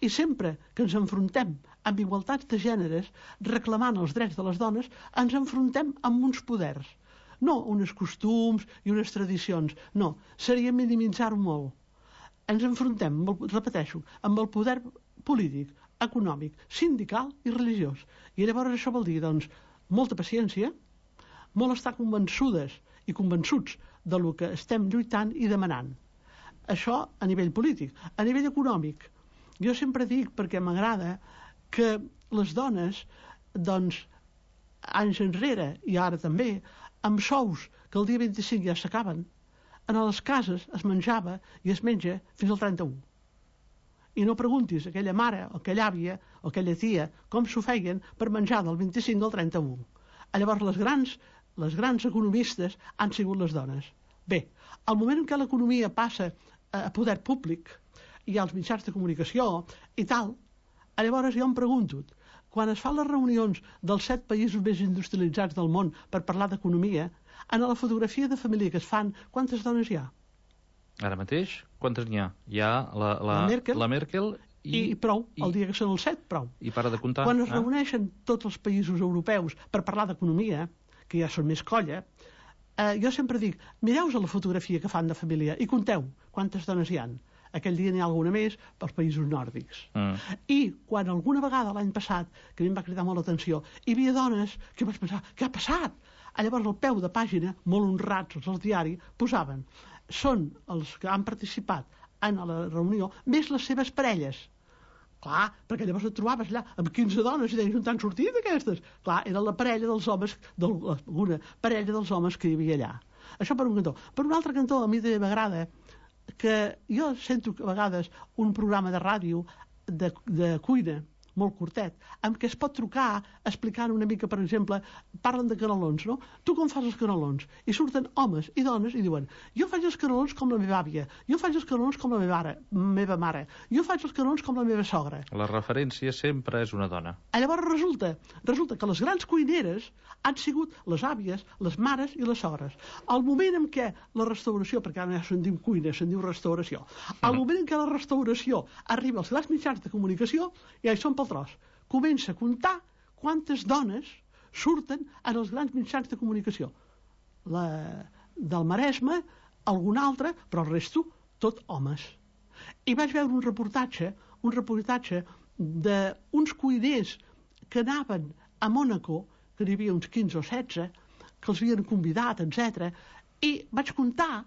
I sempre que ens enfrontem amb igualtats de gèneres, reclamant els drets de les dones, ens enfrontem amb uns poders. No uns costums i unes tradicions, no, seria minimitzar-ho molt. Ens enfrontem, repeteixo, amb el poder polític, econòmic, sindical i religiós. I llavors això vol dir, doncs, molta paciència, molt estar convençudes i convençuts de lo que estem lluitant i demanant. Això a nivell polític. A nivell econòmic, jo sempre dic, perquè m'agrada, que les dones, doncs, anys enrere, i ara també, amb sous que el dia vint-i-cinc ja s'acaben, en les cases es menjava i es menja fins al trenta-u. I no preguntis a aquella mare, o aquella àvia, o aquella tia, com s'ho feien per menjar del vint-i-cinc al trenta-u. Llavors, les grans, les grans economistes han sigut les dones. Bé, al moment en què l'economia passa a poder públic, i als mitjans de comunicació i tal, llavors jo em pregunto, quan es fan les reunions dels set països més industrialitzats del món per parlar d'economia, en la fotografia de família que es fan, quantes dones hi ha? Ara mateix, quantes n'hi ha? Hi ha la, la, la, Merkel, la Merkel I, i prou, i, el dia que són els set, prou. I para de comptar. Quan es eh? reuneixen tots els països europeus per parlar d'economia, que ja són més colla, eh, jo sempre dic, mireu a la fotografia que fan de família i conteu quantes dones hi han. Aquell dia n'hi ha alguna més pels països nòrdics. Mm. I quan alguna vegada l'any passat, que a mi em va cridar molt l'atenció, hi havia dones que vaig pensar, què ha passat? A llavors al peu de pàgina, molt honrats els del diari, posaven, són els que han participat en la reunió, més les seves parelles. Clar, perquè llavors et trobaves allà amb quinze dones i deies, on t'han sortit aquestes? Clar, era la parella dels homes, alguna parella dels homes que hi havia allà. Això per un cantó. Per un altre cantó, a mi també m'agrada que jo sento a vegades un programa de ràdio de, de cuina, molt curtet, amb què es pot trucar explicant una mica, per exemple, parlen de canelons, no? Tu com fas els canelons? I surten homes i dones i diuen, jo faig els canelons com la meva àvia, jo faig els canelons com la meva, ara, meva mare, jo faig els canelons com la meva sogra. La referència sempre és una dona. Llavors resulta, resulta que les grans cuineres han sigut les àvies, les mares i les sogres. Al moment en què la restauració, perquè ara ja se'n diu cuina, se'n diu restauració, al moment en què la restauració arriba als grans mitjans de comunicació, ja hi són pel tros. Comença a comptar quantes dones surten en els grans mitjans de comunicació. La del Maresme, algun altre, però el resto, tot homes. I vaig veure un reportatge, un reportatge d'uns cuiners que anaven a Mònaco, que n'hi havia uns quinze o setze, que els havien convidat, etcètera, i vaig comptar,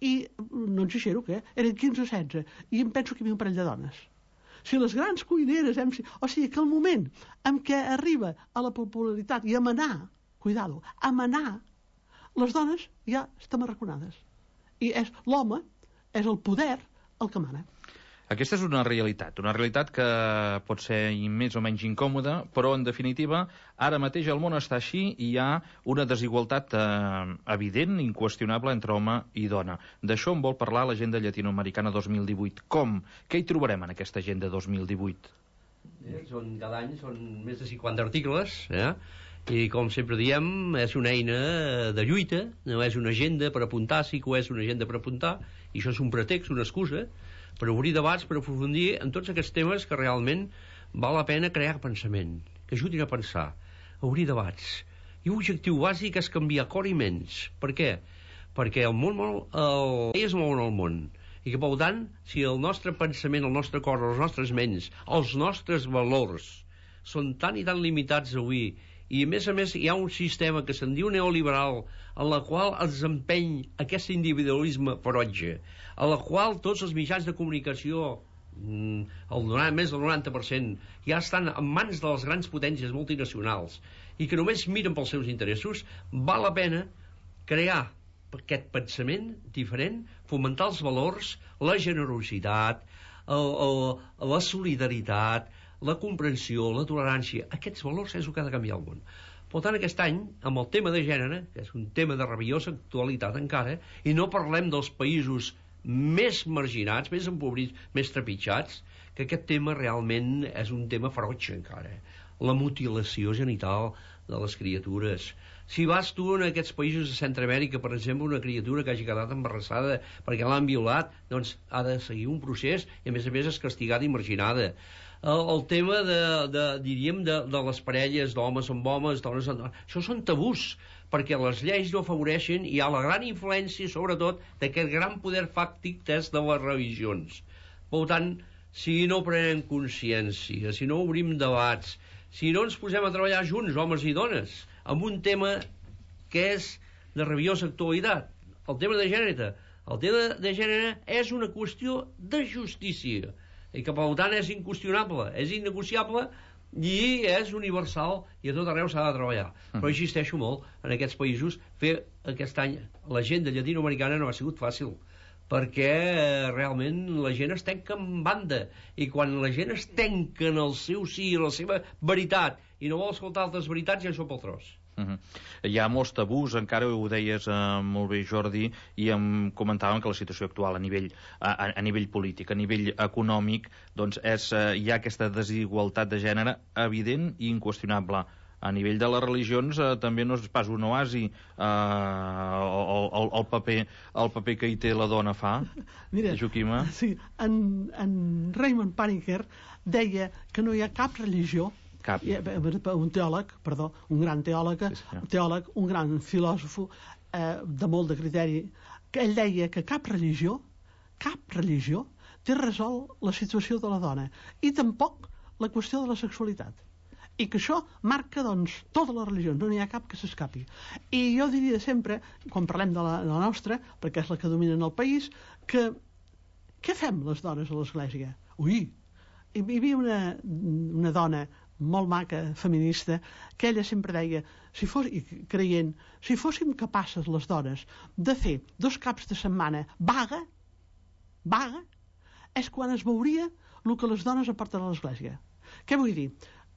i no exagero, que eren quinze o setze, i em penso que hi havia un parell de dones. Si les grans cuineres hem... O sigui, que el moment en què arriba a la popularitat i a manar, cuidado, a manar, les dones ja estan arraconades. I és l'home, és el poder, el que mana. Aquesta és una realitat, una realitat que pot ser més o menys incòmoda, però en definitiva, ara mateix el món està així i hi ha una desigualtat eh, evident, inqüestionable entre home i dona. D'això en vol parlar l'Agenda Llatinoamericana dos mil divuit. Com? Què hi trobarem en aquesta Agenda dos mil divuit? Eh, són, cada any són més de cinquanta articles, eh? I com sempre diem, és una eina de lluita, no és una agenda per apuntar, sí que és una agenda per apuntar, i això és un pretext, una excusa, per obrir debats, per aprofundir en tots aquests temes que realment val la pena crear pensament, que ajudin a pensar, a obrir debats. I l'objectiu bàsic és canviar cor i ments. Per què? Perquè el món, el... es mouen al món. I que, per tant, si el nostre pensament, el nostre cor, les nostres ments, els nostres valors són tan i tan limitats avui, i a més a més hi ha un sistema que se'n diu neoliberal en la qual ens empeny aquest individualisme ferotge, a la qual tots els mitjans de comunicació, el més del noranta per cent, ja estan en mans de les grans potències multinacionals i que només miren pels seus interessos, val la pena crear aquest pensament diferent, fomentar els valors, la generositat, el, el, la solidaritat, la comprensió, la tolerància. Aquests valors és el que ha de canviar el món. Per tant, aquest any, amb el tema de gènere, que és un tema de rabiosa actualitat encara, i no parlem dels països més marginats, més empobrits, més trepitjats, que aquest tema realment és un tema ferotge encara. La mutilació genital de les criatures. Si vas tu en aquests països de Centroamèrica, per exemple, una criatura que hagi quedat embarassada perquè l'han violat, doncs ha de seguir un procés i a més a més és castigada i marginada. El, el tema de, de, diríem, de, de les parelles d'homes amb homes, dones amb dones, això són tabús, perquè les lleis no afavoreixen i hi ha la gran influència, sobretot, d'aquest gran poder fàctic des de les religions. Per tant, si no prenem consciència, si no obrim debats, si no ens posem a treballar junts, homes i dones, amb un tema que és de rabiosa actualitat, el tema de gènere. El tema de gènere és una qüestió de justícia, i que per tant és inqüestionable, és innegociable i és universal i a tot arreu s'ha de treballar. Mm. Però insisteixo molt en aquests països, fer aquest any l'agenda llatinoamericana no ha sigut fàcil, perquè realment la gent es tanca en banda, i quan la gent es tanca en el seu sí i la seva veritat i no vol escoltar altres veritats, ja això pel tros. Uh-huh. Hi ha molts tabús, encara ho deies eh, molt bé, Jordi, i em comentàvem que la situació actual a nivell, a, a nivell polític, a nivell econòmic, doncs és, eh, hi ha aquesta desigualtat de gènere evident i inqüestionable a nivell de les religions eh, també no és pas un oasi eh, el, el, el, paper, el paper que hi té la dona fa. Mira, Joaquima. Sí, en, en Raymond Paniker deia que no hi ha cap religió, cap. un teòleg, perdó, un gran teòleg, sí, teòleg un gran filòsof eh, de molt de criteri, que ell deia que cap religió, cap religió té resolt la situació de la dona i tampoc la qüestió de la sexualitat. I que això marca, doncs, totes les religions, no n'hi ha cap que s'escapi. I jo diria sempre, quan parlem de la, de la nostra, perquè és la que domina en el país, que què fem les dones a l'església? Ui, hi havia una, una dona molt maca, feminista, que ella sempre deia, si fos, i creient, si fóssim capaces les dones de fer dos caps de setmana vaga, vaga, és quan es veuria el que les dones aporten a l'església. Què vull dir?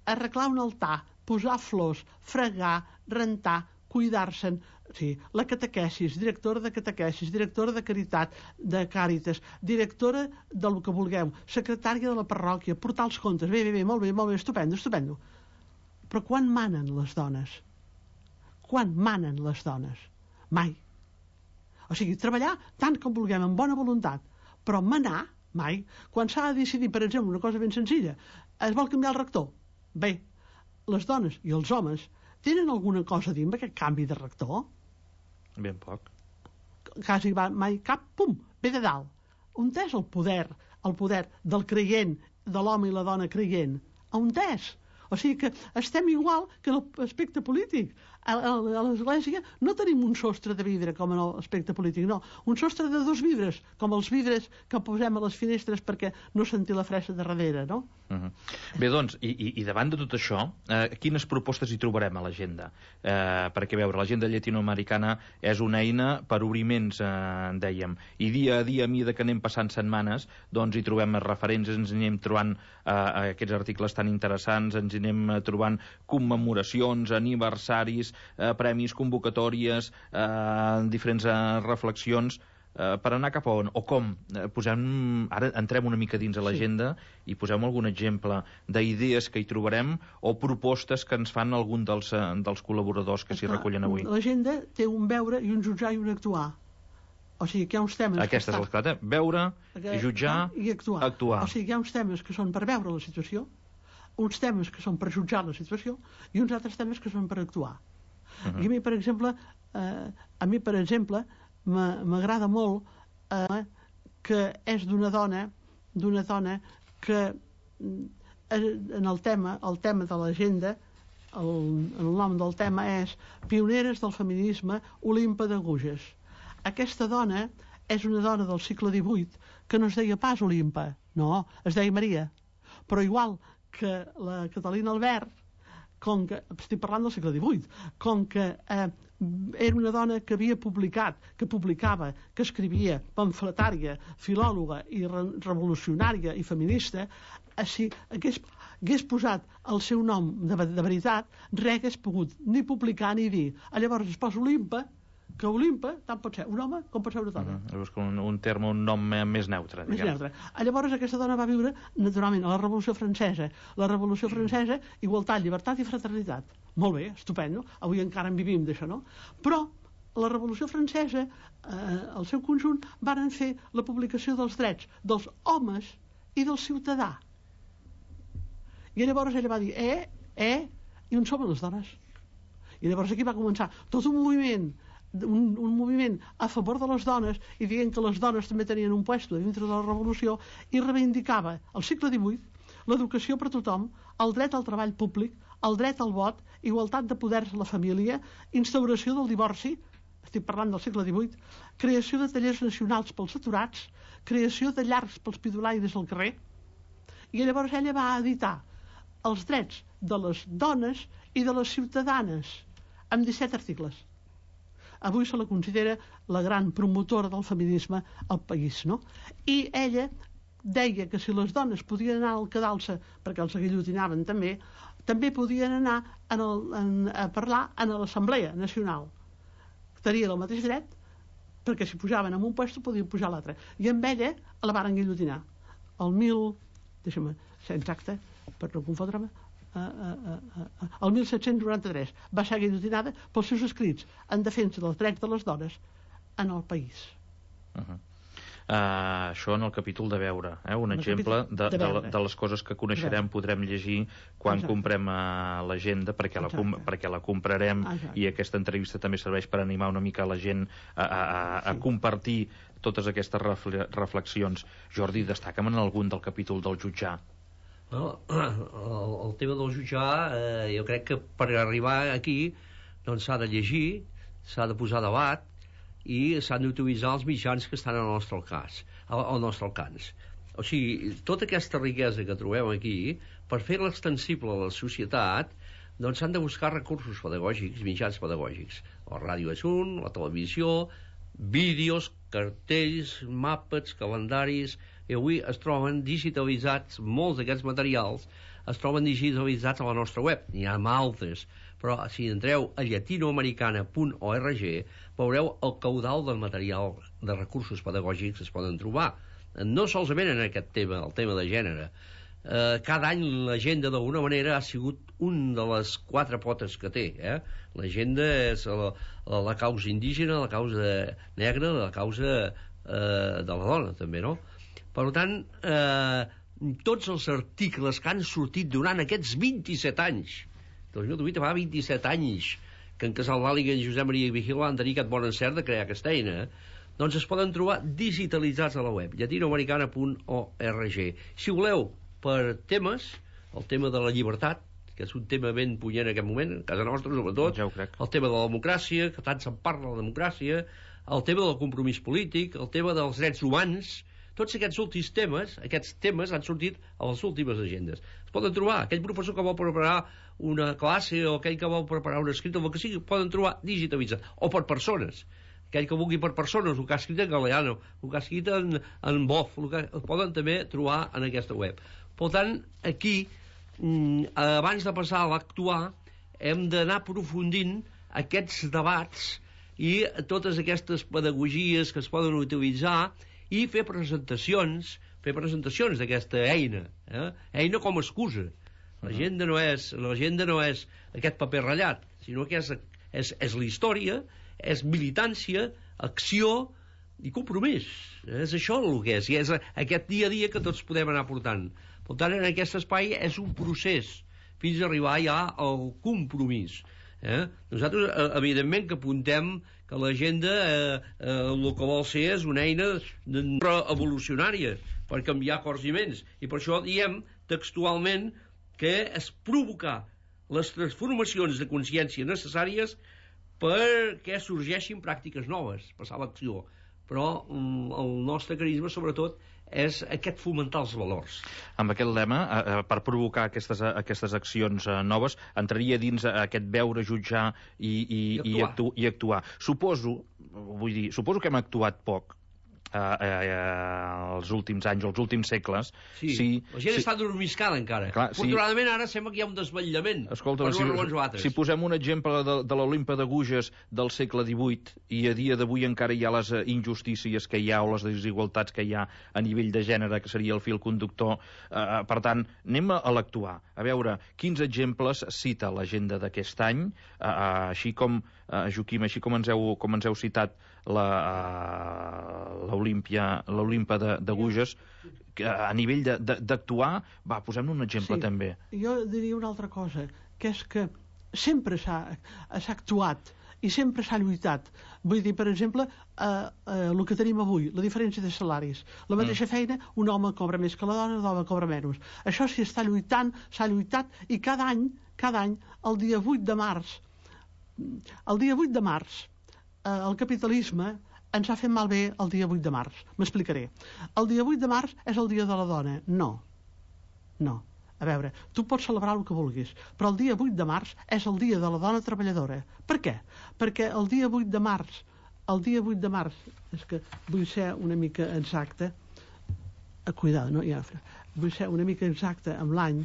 Arreglar un altar, posar flors, fregar, rentar, cuidar-se'n, sí, la catequesis, directora de catequesis, directora de caritat, de càritas, directora del que vulgueu, secretària de la parròquia, portar els comptes, bé, bé, bé, molt bé, molt bé, estupendo, estupendo. Però quan manen les dones? Quan manen les dones? Mai. O sigui, treballar tant com vulguem, amb bona voluntat, però manar, mai. Quan s'ha de decidir, per exemple, una cosa ben senzilla, es vol canviar el rector. Bé, les dones i els homes tenen alguna cosa a dir amb aquest canvi de rector? Ben poc. Quasi va, mai cap, pum, ve de dalt. On és el poder, el poder del creient, de l'home i la dona creient? On és? O sigui que estem igual que en l'aspecte polític. A, a, a l'església no tenim un sostre de vidre com en l'aspecte polític, no. Un sostre de dos vidres, com els vidres que posem a les finestres perquè no senti la fressa de darrere, no? Uh -huh. Bé, doncs, i, i, i davant de tot això, eh, quines propostes hi trobarem a l'agenda? Eh, perquè, a veure, l'agenda llatinoamericana és una eina per obriments, eh, dèiem, i dia a dia, a mesura que anem passant setmanes, doncs hi trobem referents, ens anem trobant eh, aquests articles tan interessants, ens anem trobant commemoracions, aniversaris, eh, premis, convocatòries, eh, diferents eh, reflexions, eh, per anar cap a on, o com. Eh, posem, ara entrem una mica dins a l'agenda sí. i posem algun exemple d'idees que hi trobarem o propostes que ens fan algun dels, eh, dels col·laboradors que s'hi recullen avui. L'agenda té un veure i un jutjar i un actuar. O sigui que hi ha uns temes... Aquesta és l'esclata. Veure, que... jutjar, i actuar. actuar. O sigui que hi ha uns temes que són per veure la situació, uns temes que són per jutjar la situació i uns altres temes que són per actuar. Uh -huh. I a mi, per exemple, eh, a mi, per exemple, m'agrada molt eh, que és d'una dona, d'una dona que en el tema, el tema de l'agenda, el, el nom del tema és Pioneres del feminisme, Olimpa d'Aguges. Aquesta dona és una dona del segle divuit que no es deia pas Olimpa, no, es deia Maria. Però igual que la Catalina Albert, com que, estic parlant del segle divuit, com que eh, era una dona que havia publicat, que publicava, que escrivia, pamfletària, filòloga i re revolucionària i feminista, així hagués, hagués posat el seu nom de, de veritat, res hagués pogut ni publicar ni dir. Llavors es posa Olimpa, que Olimpa tant pot ser un home com pot ser una dona. Uh -huh. un, un terme, un nom més neutre. Més neutre. Llavors aquesta dona va viure, naturalment, a la Revolució Francesa. La Revolució Francesa, igualtat, llibertat i fraternitat. Molt bé, estupendo. Avui encara en vivim d'això, no? Però la Revolució Francesa, eh, al seu conjunt, varen fer la publicació dels drets dels homes i del ciutadà. I llavors ella va dir, eh, eh, i on som les dones? I llavors aquí va començar tot un moviment Un, un moviment a favor de les dones i dient que les dones també tenien un puesto dintre de la revolució i reivindicava al segle divuit l'educació per a tothom, el dret al treball públic, el dret al vot, igualtat de poders a la família, instauració del divorci, estic parlant del segle divuit, creació de tallers nacionals pels aturats, creació de llars pels pidolaires al carrer, i llavors ella va editar els drets de les dones i de les ciutadanes amb disset articles. Avui se la considera la gran promotora del feminisme al país, no? I ella deia que si les dones podien anar al cadalsa, perquè els aguillotinaven també, també podien anar en el, en, a parlar en l'Assemblea Nacional. Tenien el mateix dret, perquè si pujaven en un puesto podien pujar a l'altre. I amb ella la varen guillotinar. El mil, deixa'm ser exacte, per no confondre-me, el mil set-cents noranta-tres va ser guillotinada pels seus escrits en defensa dels drets de les dones en el país. Uh -huh. Uh, això en el capítol de veure, eh? un el exemple de, de, de, de les coses que coneixerem, podrem llegir quan Exacte. comprem uh, l'agenda, perquè, la com, perquè la comprarem. Exacte. I aquesta entrevista també serveix per animar una mica la gent a, a, a, a sí. compartir totes aquestes reflexions. Jordi, destaca'm en algun del capítol del jutjar. No, el, el tema del jutjar, eh, jo crec que per arribar aquí doncs s'ha de llegir, s'ha de posar a debat i s'han d'utilitzar els mitjans que estan al nostre alcance, al, al nostre alcance. O sigui, tota aquesta riquesa que trobem aquí, per fer-la extensible a la societat, doncs s'han de buscar recursos pedagògics, mitjans pedagògics. La ràdio és un, la televisió, vídeos, cartells, mapes, calendaris, i avui es troben digitalitzats, molts d'aquests materials es troben digitalitzats a la nostra web, n'hi ha altres, però si entreu a llatinoamericana punt org veureu el caudal del material de recursos pedagògics que es poden trobar, no solament en aquest tema, el tema de gènere. Eh, cada any l'agenda d'alguna manera ha sigut un de les quatre potes que té, eh? L'agenda és la, la, la causa indígena, la causa negra, la causa eh, de la dona també, no? Per tant, eh, tots els articles que han sortit durant aquests vint-i-set anys, dos mil divuit fa vint-i-set anys que en Casal Vàliga i en Josep Maria Vigil han tenir aquest bon encert de crear aquesta eina, doncs es poden trobar digitalitzats a la web, llatinoamericana punt org. Si voleu, per temes, el tema de la llibertat, que és un tema ben punyent en aquest moment, a casa nostra sobretot, ja ho crec. El tema de la democràcia, que tant se'n parla de la democràcia, el tema del compromís polític, el tema dels drets humans, tots aquests últims temes, aquests temes han sortit a les últimes agendes. Es poden trobar, aquell professor que vol preparar una classe o aquell que vol preparar un escrit, o el que sigui, poden trobar digitalitzat, o per persones. Aquell que vulgui per persones, el que ha escrit en galeano, el que ha escrit en, en bof, el que el poden també trobar en aquesta web. Per tant, aquí, abans de passar a l'actuar, hem d'anar aprofundint aquests debats i totes aquestes pedagogies que es poden utilitzar i fer presentacions, fer presentacions d'aquesta eina, eh? Eina com a excusa. L'agenda no és, l'agenda no és aquest paper ratllat, sinó que és, és, és la història, és militància, acció i compromís. És això el que és, i és aquest dia a dia que tots podem anar portant. Per tant, en aquest espai és un procés fins a arribar ja al compromís. Eh? Nosaltres, evidentment, que apuntem que l'agenda eh, eh, el que vol ser és una eina evolucionària per canviar cors i ments, i per això diem textualment que és provocar les transformacions de consciència necessàries perquè sorgeixin pràctiques noves, passar a l'acció. Però mm, el nostre carisma, sobretot, és aquest fomentar els valors. Amb aquest lema, eh, per provocar aquestes, aquestes accions eh, noves, entraria dins aquest veure, jutjar i, i, I, actuar. i, actu, i actuar. Suposo, vull dir, suposo que hem actuat poc eh, eh, els últims anys, els últims segles. Sí, sí, la gent sí. està dormiscada encara. Clar, Afortunadament sí. Ara sembla que hi ha un desvetllament. Escolta, si, si posem un exemple de, de l'Olimpa de Gouges del segle divuit, i a dia d'avui encara hi ha les injustícies que hi ha o les desigualtats que hi ha a nivell de gènere, que seria el fil conductor, eh, per tant, anem a l'actuar, a veure quins exemples cita l'agenda d'aquest any, eh, així com, eh, Joaquim, així com ens heu, com ens heu citat l'Olimpa de, de Gouges, que a nivell d'actuar, va, posem-ne un exemple sí, també. Jo diria una altra cosa, que és que sempre s'ha actuat i sempre s'ha lluitat. Vull dir, per exemple, eh, eh, el que tenim avui, la diferència de salaris. La mateixa mm. feina, un home cobra més que la dona, la dona cobra menys. Això s'hi està lluitant, s'ha lluitat, i cada any, cada any, el dia vuit de març, el dia vuit de març, eh, el capitalisme ens ha fet malbé el dia vuit de març. M'explicaré. El dia vuit de març és el dia de la dona. No. No. A veure, tu pots celebrar el que vulguis, però el dia vuit de març és el dia de la dona treballadora. Per què? Perquè el dia vuit de març, el dia vuit de març, és que vull ser una mica exacta, eh, cuidado, no? Ja, vull ser una mica exacta amb l'any,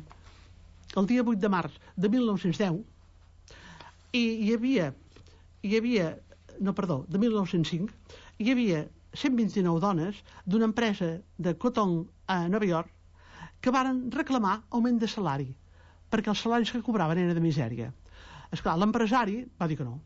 el dia vuit de març de mil nou-cents deu, i hi havia, hi havia, no, perdó, de mil nou-cents cinc, hi havia cent vint-i-nou dones d'una empresa de cotó a Nova York que varen reclamar augment de salari. perquè els salaris que cobraven eren de misèria. Esclar, l'empresari va dir que no.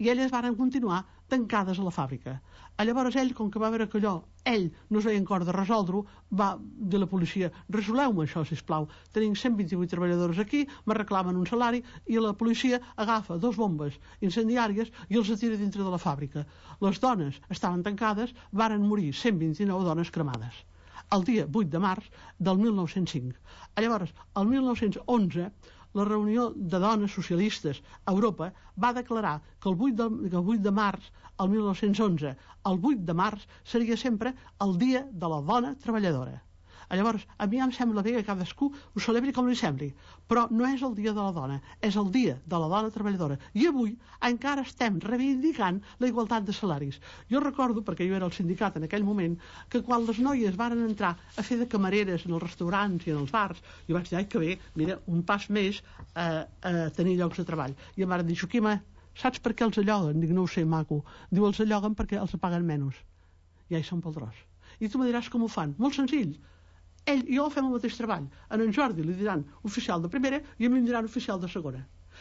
I elles van continuar tancades a la fàbrica. Llavors ell, com que va veure que allò, ell no es veia en cor de resoldre-ho, va dir a la policia, resoleu-me això, sisplau. Tenim cent vint-i-vuit treballadors aquí, me reclamen un salari, i la policia agafa dos bombes incendiàries i els atira dintre de la fàbrica. Les dones estaven tancades, varen morir cent vint-i-nou dones cremades. El dia vuit de març del mil nou-cents cinc. Llavors, el mil nou-cents onze, la reunió de dones socialistes a Europa va declarar que el vuit de, que el vuit de març, el mil nou-cents onze, el vuit de març seria sempre el dia de la dona treballadora. Llavors, a mi em sembla bé que cadascú ho celebri com li sembli, però no és el dia de la dona, és el dia de la dona treballadora. I avui encara estem reivindicant la igualtat de salaris. Jo recordo, perquè jo era al sindicat en aquell moment, que quan les noies varen entrar a fer de camareres en els restaurants i en els bars, jo vaig dir, ai, que bé, mira, un pas més a, a tenir llocs de treball. I em van dir, Joaquima, saps per què els alloguen? Dic, no ho sé, maco. Diu, els alloguen perquè els paguen menys. I ja hi són pel tros. I tu me diràs com ho fan. Molt senzill. Ell i jo fem el mateix treball. En en Jordi li diran oficial de primera i a mi em diran oficial de segona.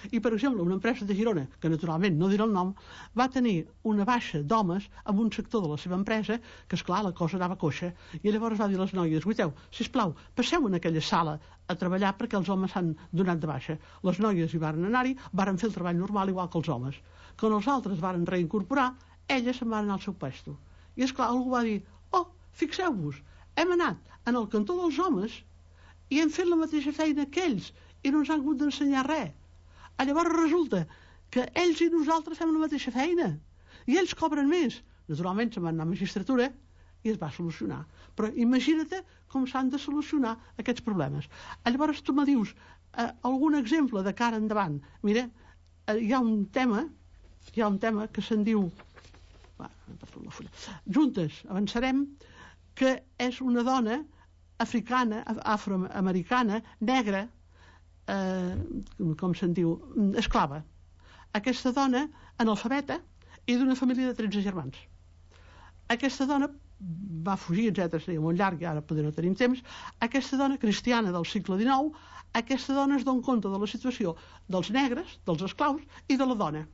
I, per exemple, una empresa de Girona, que naturalment no dirà el nom, va tenir una baixa d'homes en un sector de la seva empresa, que, esclar, la cosa anava coixa, i llavors va dir a les noies, guiteu, sisplau, passeu en aquella sala a treballar perquè els homes s'han donat de baixa. Les noies hi varen anar-hi, varen fer el treball normal igual que els homes. Quan els altres varen reincorporar, elles se'n van anar al seu puesto. I, esclar, algú va dir, oh, fixeu-vos, hem anat en el cantó dels homes i hem fet la mateixa feina que ells i no ens han hagut d'ensenyar res. Llavors resulta que ells i nosaltres fem la mateixa feina i ells cobren més. Naturalment se'n van anar a magistratura i es va solucionar. Però imagina't com s'han de solucionar aquests problemes. Llavors tu me dius eh, algun exemple de cara endavant. Mira, eh, hi ha un tema hi ha un tema que se'n diu Juntes avançarem, que és una dona africana, afroamericana, negra, eh, com se'n diu, esclava. Aquesta dona, analfabeta, i d'una família de tretze germans. Aquesta dona va fugir, etcètera, seria molt llarg, i ara potser no tenim temps. Aquesta dona cristiana del segle dinou, aquesta dona es dona compte de la situació dels negres, dels esclaus i de la dona.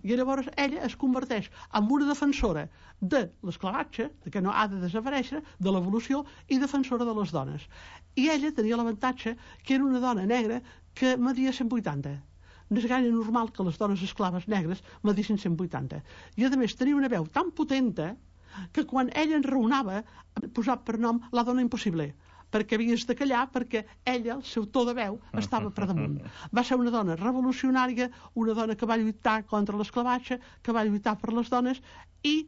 I llavors ella es converteix en una defensora de l'esclavatge, que no ha de desaparèixer, de l'evolució, i defensora de les dones. I ella tenia l'avantatge que era una dona negra que media cent vuitanta. No és gaire normal que les dones esclaves negres medissin cent vuitanta. I a més tenia una veu tan potenta que quan ella enraonava posava per nom la dona impossible, perquè havies de callar, perquè ella, el seu to de veu, estava per damunt. Va ser una dona revolucionària, una dona que va lluitar contra l'esclavatge, que va lluitar per les dones, i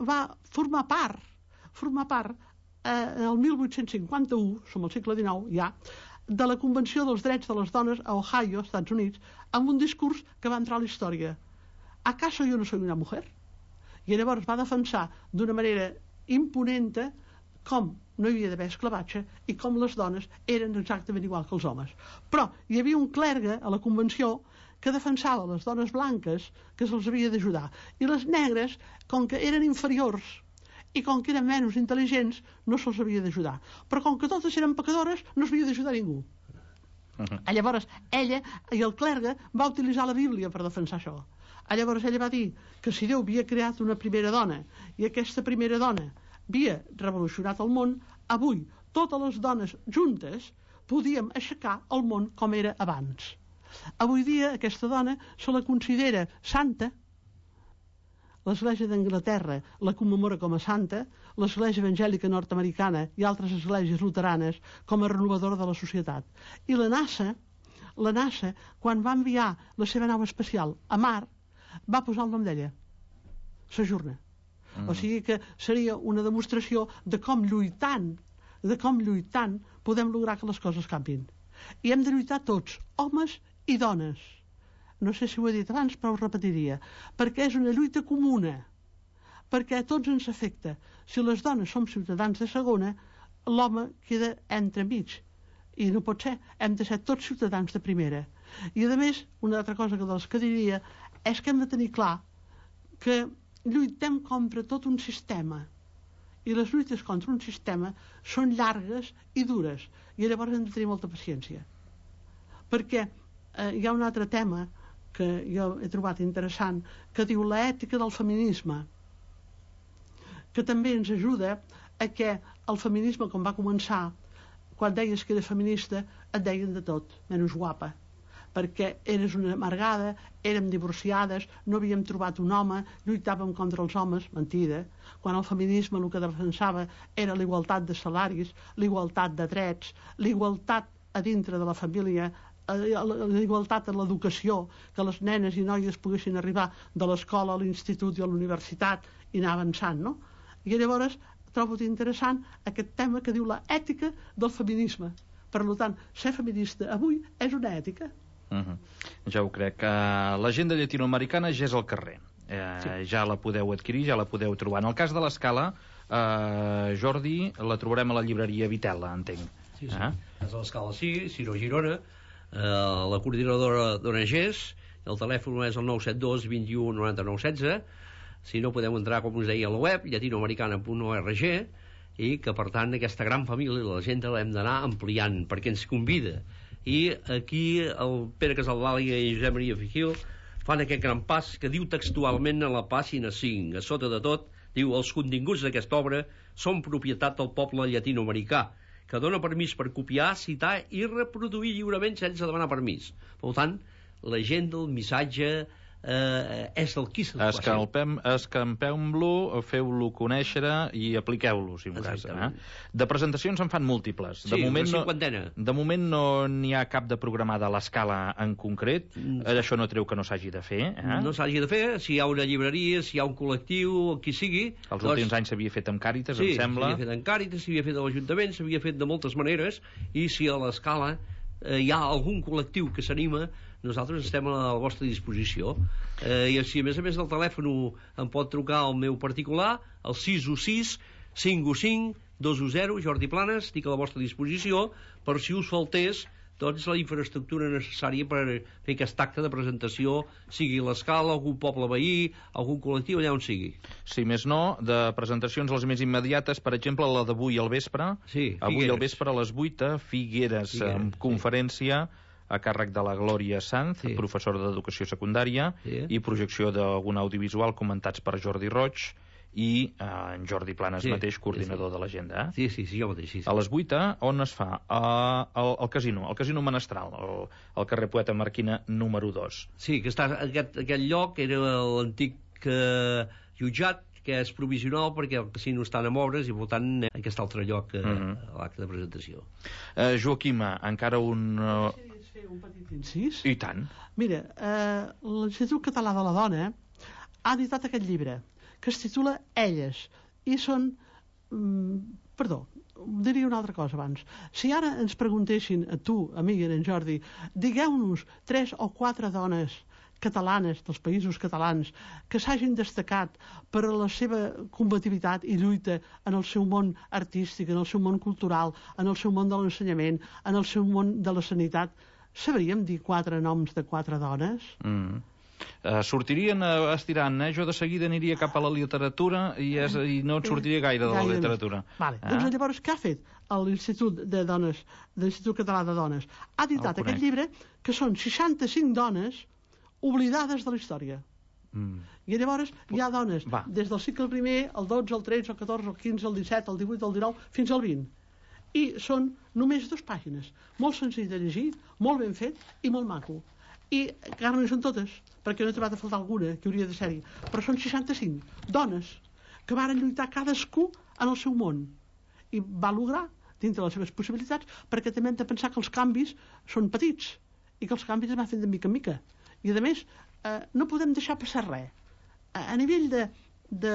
va formar part, formar part, eh, el mil vuit-cents cinquanta-u, som al segle dinou ja, de la Convenció dels Drets de les Dones a Ohio, Estats Units, amb un discurs que va entrar a la història. ¿Acaso yo no soy una mujer? I llavors va defensar d'una manera imponente com no hi havia d'haver esclavatge i com les dones eren exactament igual que els homes. Però hi havia un clergue a la Convenció que defensava les dones blanques, que se'ls havia d'ajudar, i les negres, com que eren inferiors i com que eren menys intel·ligents, no se'ls havia d'ajudar. Però com que totes eren pecadores, no s'havia d'ajudar ningú. Uh-huh. Llavors ella i el clergue va utilitzar la Bíblia per defensar això. Llavors ella va dir que si Déu havia creat una primera dona i aquesta primera dona havia revolucionat el món, avui totes les dones juntes podíem aixecar el món com era abans. Avui dia aquesta dona se la considera santa, l'Església d'Anglaterra la commemora com a santa, l'Església Evangèlica Nord-Americana i altres esglésies luteranes com a renovadora de la societat. I la NASA, la NASA, quan va enviar la seva nau espacial a Mart, va posar el nom d'ella, Sojourner. Mm. O sigui que seria una demostració de com lluitant, de com lluitant podem lograr que les coses canvin. I hem de lluitar tots, homes i dones. No sé si ho he dit abans, però ho repetiria. Perquè és una lluita comuna. Perquè a tots ens afecta. Si les dones som ciutadans de segona, l'home queda entremig. I no pot ser. Hem de ser tots ciutadans de primera. I a més, una altra cosa que dels que diria és que hem de tenir clar que lluitem contra tot un sistema i les lluites contra un sistema són llargues i dures i llavors hem de tenir molta paciència. perquè eh, hi ha un altre tema que jo he trobat interessant, que diu l'ètica del feminisme, que també ens ajuda a que el feminisme, com va començar, quan deies que eres feminista, et deien de tot, menys guapa, perquè eres una amargada, érem divorciades, no havíem trobat un home, lluitàvem contra els homes, mentida, quan el feminisme el que defensava era la igualtat de salaris, la igualtat de drets, la igualtat a dintre de la família, la igualtat en l'educació, que les nenes i noies poguessin arribar de l'escola a l'institut i a la universitat i anar avançant, no? I llavors trobo interessant aquest tema que diu la ètica del feminisme. Per tant, ser feminista avui és una ètica. Uh-huh. Ja ho crec. Uh, L'agenda llatinoamericana ja és al carrer. Uh, sí. Ja la podeu adquirir, ja la podeu trobar. En el cas de l'Escala, uh, Jordi, la trobarem a la llibreria Vitela, entenc. Sí, sí. Uh? A l'Escala sí, Ciro Girona, uh, la coordinadora d'O N Ges, el telèfon és el nou set dos, vint u, noranta-nou, setze. Si no, podeu entrar, com us deia, a la web llatinoamericana punt org, i que, per tant, aquesta gran família de la gent l'hem d'anar ampliant, perquè ens convida. I aquí el Pere Casaldàlia i Josep Maria Fijil fan aquest gran pas que diu textualment a la pàgina cinc, a sota de tot, diu: els continguts d'aquesta obra són propietat del poble llatinoamericà, que dona permís per copiar, citar i reproduir lliurement sense demanar permís. Per tant, l'agenda, el missatge, eh, és el qui se'l Escampem, escampeu-lo, feu-lo conèixer i apliqueu-lo, si m'ho cas. Eh? De presentacions en fan múltiples. De Sí, moment una no, cinquantena. de moment no n'hi ha cap de programada a l'Escala en concret. Mm. Això no treu que no s'hagi de fer. Eh? No s'hagi de fer, si hi ha una llibreria, si hi ha un col·lectiu, qui sigui. Els doncs... últims anys s'havia fet amb Càritas, sí, em sembla. s'havia fet amb Càritas, s'havia fet a l'Ajuntament, s'havia fet de moltes maneres, i si a l'Escala eh, hi ha algun col·lectiu que s'anima, nosaltres estem a la vostra disposició. Eh, I si a més a més del telèfon em pot trucar al meu particular, el sis u sis, cinc u cinc, dos u zero, Jordi Planes, estic a la vostra disposició, per si us faltés doncs la infraestructura necessària per fer aquest acte de presentació, sigui l'Escala, algun poble veí, algun col·lectiu, allà on sigui. Si més no, de presentacions les més immediates, per exemple, la d'avui al vespre. Sí, avui al vespre a les vuit a Figueres, Figueres amb conferència sí. a càrrec de la Glòria Sanz, sí. professora d'Educació Secundària, sí. i projecció d'algun audiovisual comentats per Jordi Roig i eh, en Jordi Planes sí, mateix, coordinador sí, sí. de l'agenda. Eh? Sí, sí, sí, jo mateix. Sí, sí. A les vuit, on es fa? Uh, al, al casino, al casino Menestral, al, al carrer Poeta Marquina número dos. Sí, que està, aquest, aquest lloc era l'antic eh, jutjat, que és provisional perquè el casino està en obres i, per tant, aquest altre lloc eh, uh -huh. a l'acte de presentació. Uh, Joaquima, encara un... Uh... fer un petit incís? I tant. Mira, eh, l'Institut Català de la Dona ha editat aquest llibre que es titula Elles, i són... Mm, perdó, diria una altra cosa abans. Si ara ens preguntessin a tu, a mi i a en Jordi, digueu-nos tres o quatre dones catalanes, dels països catalans, que s'hagin destacat per la seva combativitat i lluita en el seu món artístic, en el seu món cultural, en el seu món de l'ensenyament, en el seu món de la sanitat, sabríem dir quatre noms de quatre dones? Mm. Uh, sortirien uh, estirant, eh? Jo de seguida aniria cap a la literatura i, és, i no et sortiria gaire de la literatura. Vale. Ah. Doncs llavors què ha fet l'Institut de Dones, l'Institut Català de Dones? Ha editat aquest llibre que són seixanta-cinc dones oblidades de la història. Mm. I llavors hi ha dones Va. des del segle primer, el dotze, el tretze, el catorze, el quinze, el disset, el divuit, el dinou, fins al vint. I són només dues pàgines. Molt senzill de llegir, molt ben fet i molt maco. I encara no hi són totes, perquè no he trobat a faltar alguna que hauria de ser-hi, però són seixanta-cinc dones que varen lluitar cadascú en el seu món i va lograr dintre les seves possibilitats, perquè també hem de pensar que els canvis són petits i que els canvis es van fent de mica en mica, i a més eh, no podem deixar passar res a, a nivell de, de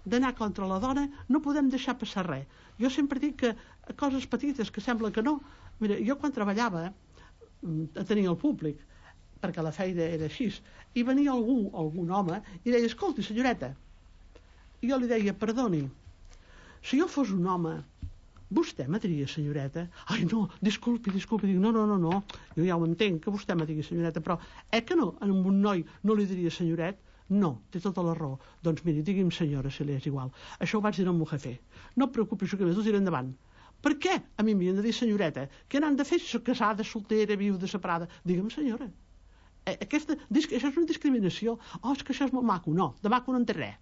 d'anar contra la dona, no podem deixar passar res. Jo sempre dic que coses petites que sembla que no, mira, jo quan treballava a tenir el públic, perquè la feina era així, i venia algú, algun home, i deia, escolti, senyoreta, i jo li deia, perdoni, si jo fos un home, vostè me diria senyoreta? Ai, no, disculpi, disculpi, dic, no, no, no, no, jo ja ho entenc, que vostè me digui senyoreta, però eh que no, a un noi no li diria senyoret? No, té tota la raó. Doncs miri, digui'm senyora, si li és igual. Això ho vaig dir al meu jefe. No et preocupis, que més ho diré endavant. Per què a mi m'havien de dir senyoreta? Què n'han de fer si soc casada, soltera, viuda, separada? Digue'm, senyora. Aquesta, això és una discriminació. Oh, és que això és molt maco. No, de maco no en té res.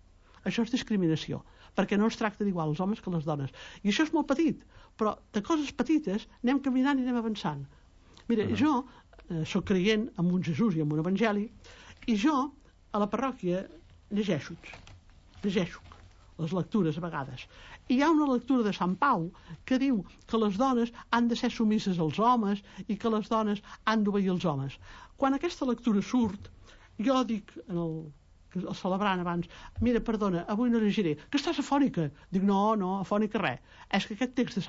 Això és discriminació, perquè no ens tracta d'igual els homes que les dones. I això és molt petit, però de coses petites anem caminant i anem avançant. Mira, uh -huh. jo eh, sóc creient en un Jesús i en un Evangeli, i jo a la parròquia llegeixo, llegeixo les lectures a vegades. I hi ha una lectura de Sant Pau que diu que les dones han de ser submises als homes i que les dones han d'obeir els homes. Quan aquesta lectura surt, jo dic, en el, el celebrant abans, mira, perdona, avui no llegiré, que estàs afònica. Dic, no, no, afònica res. És que aquest text de Sant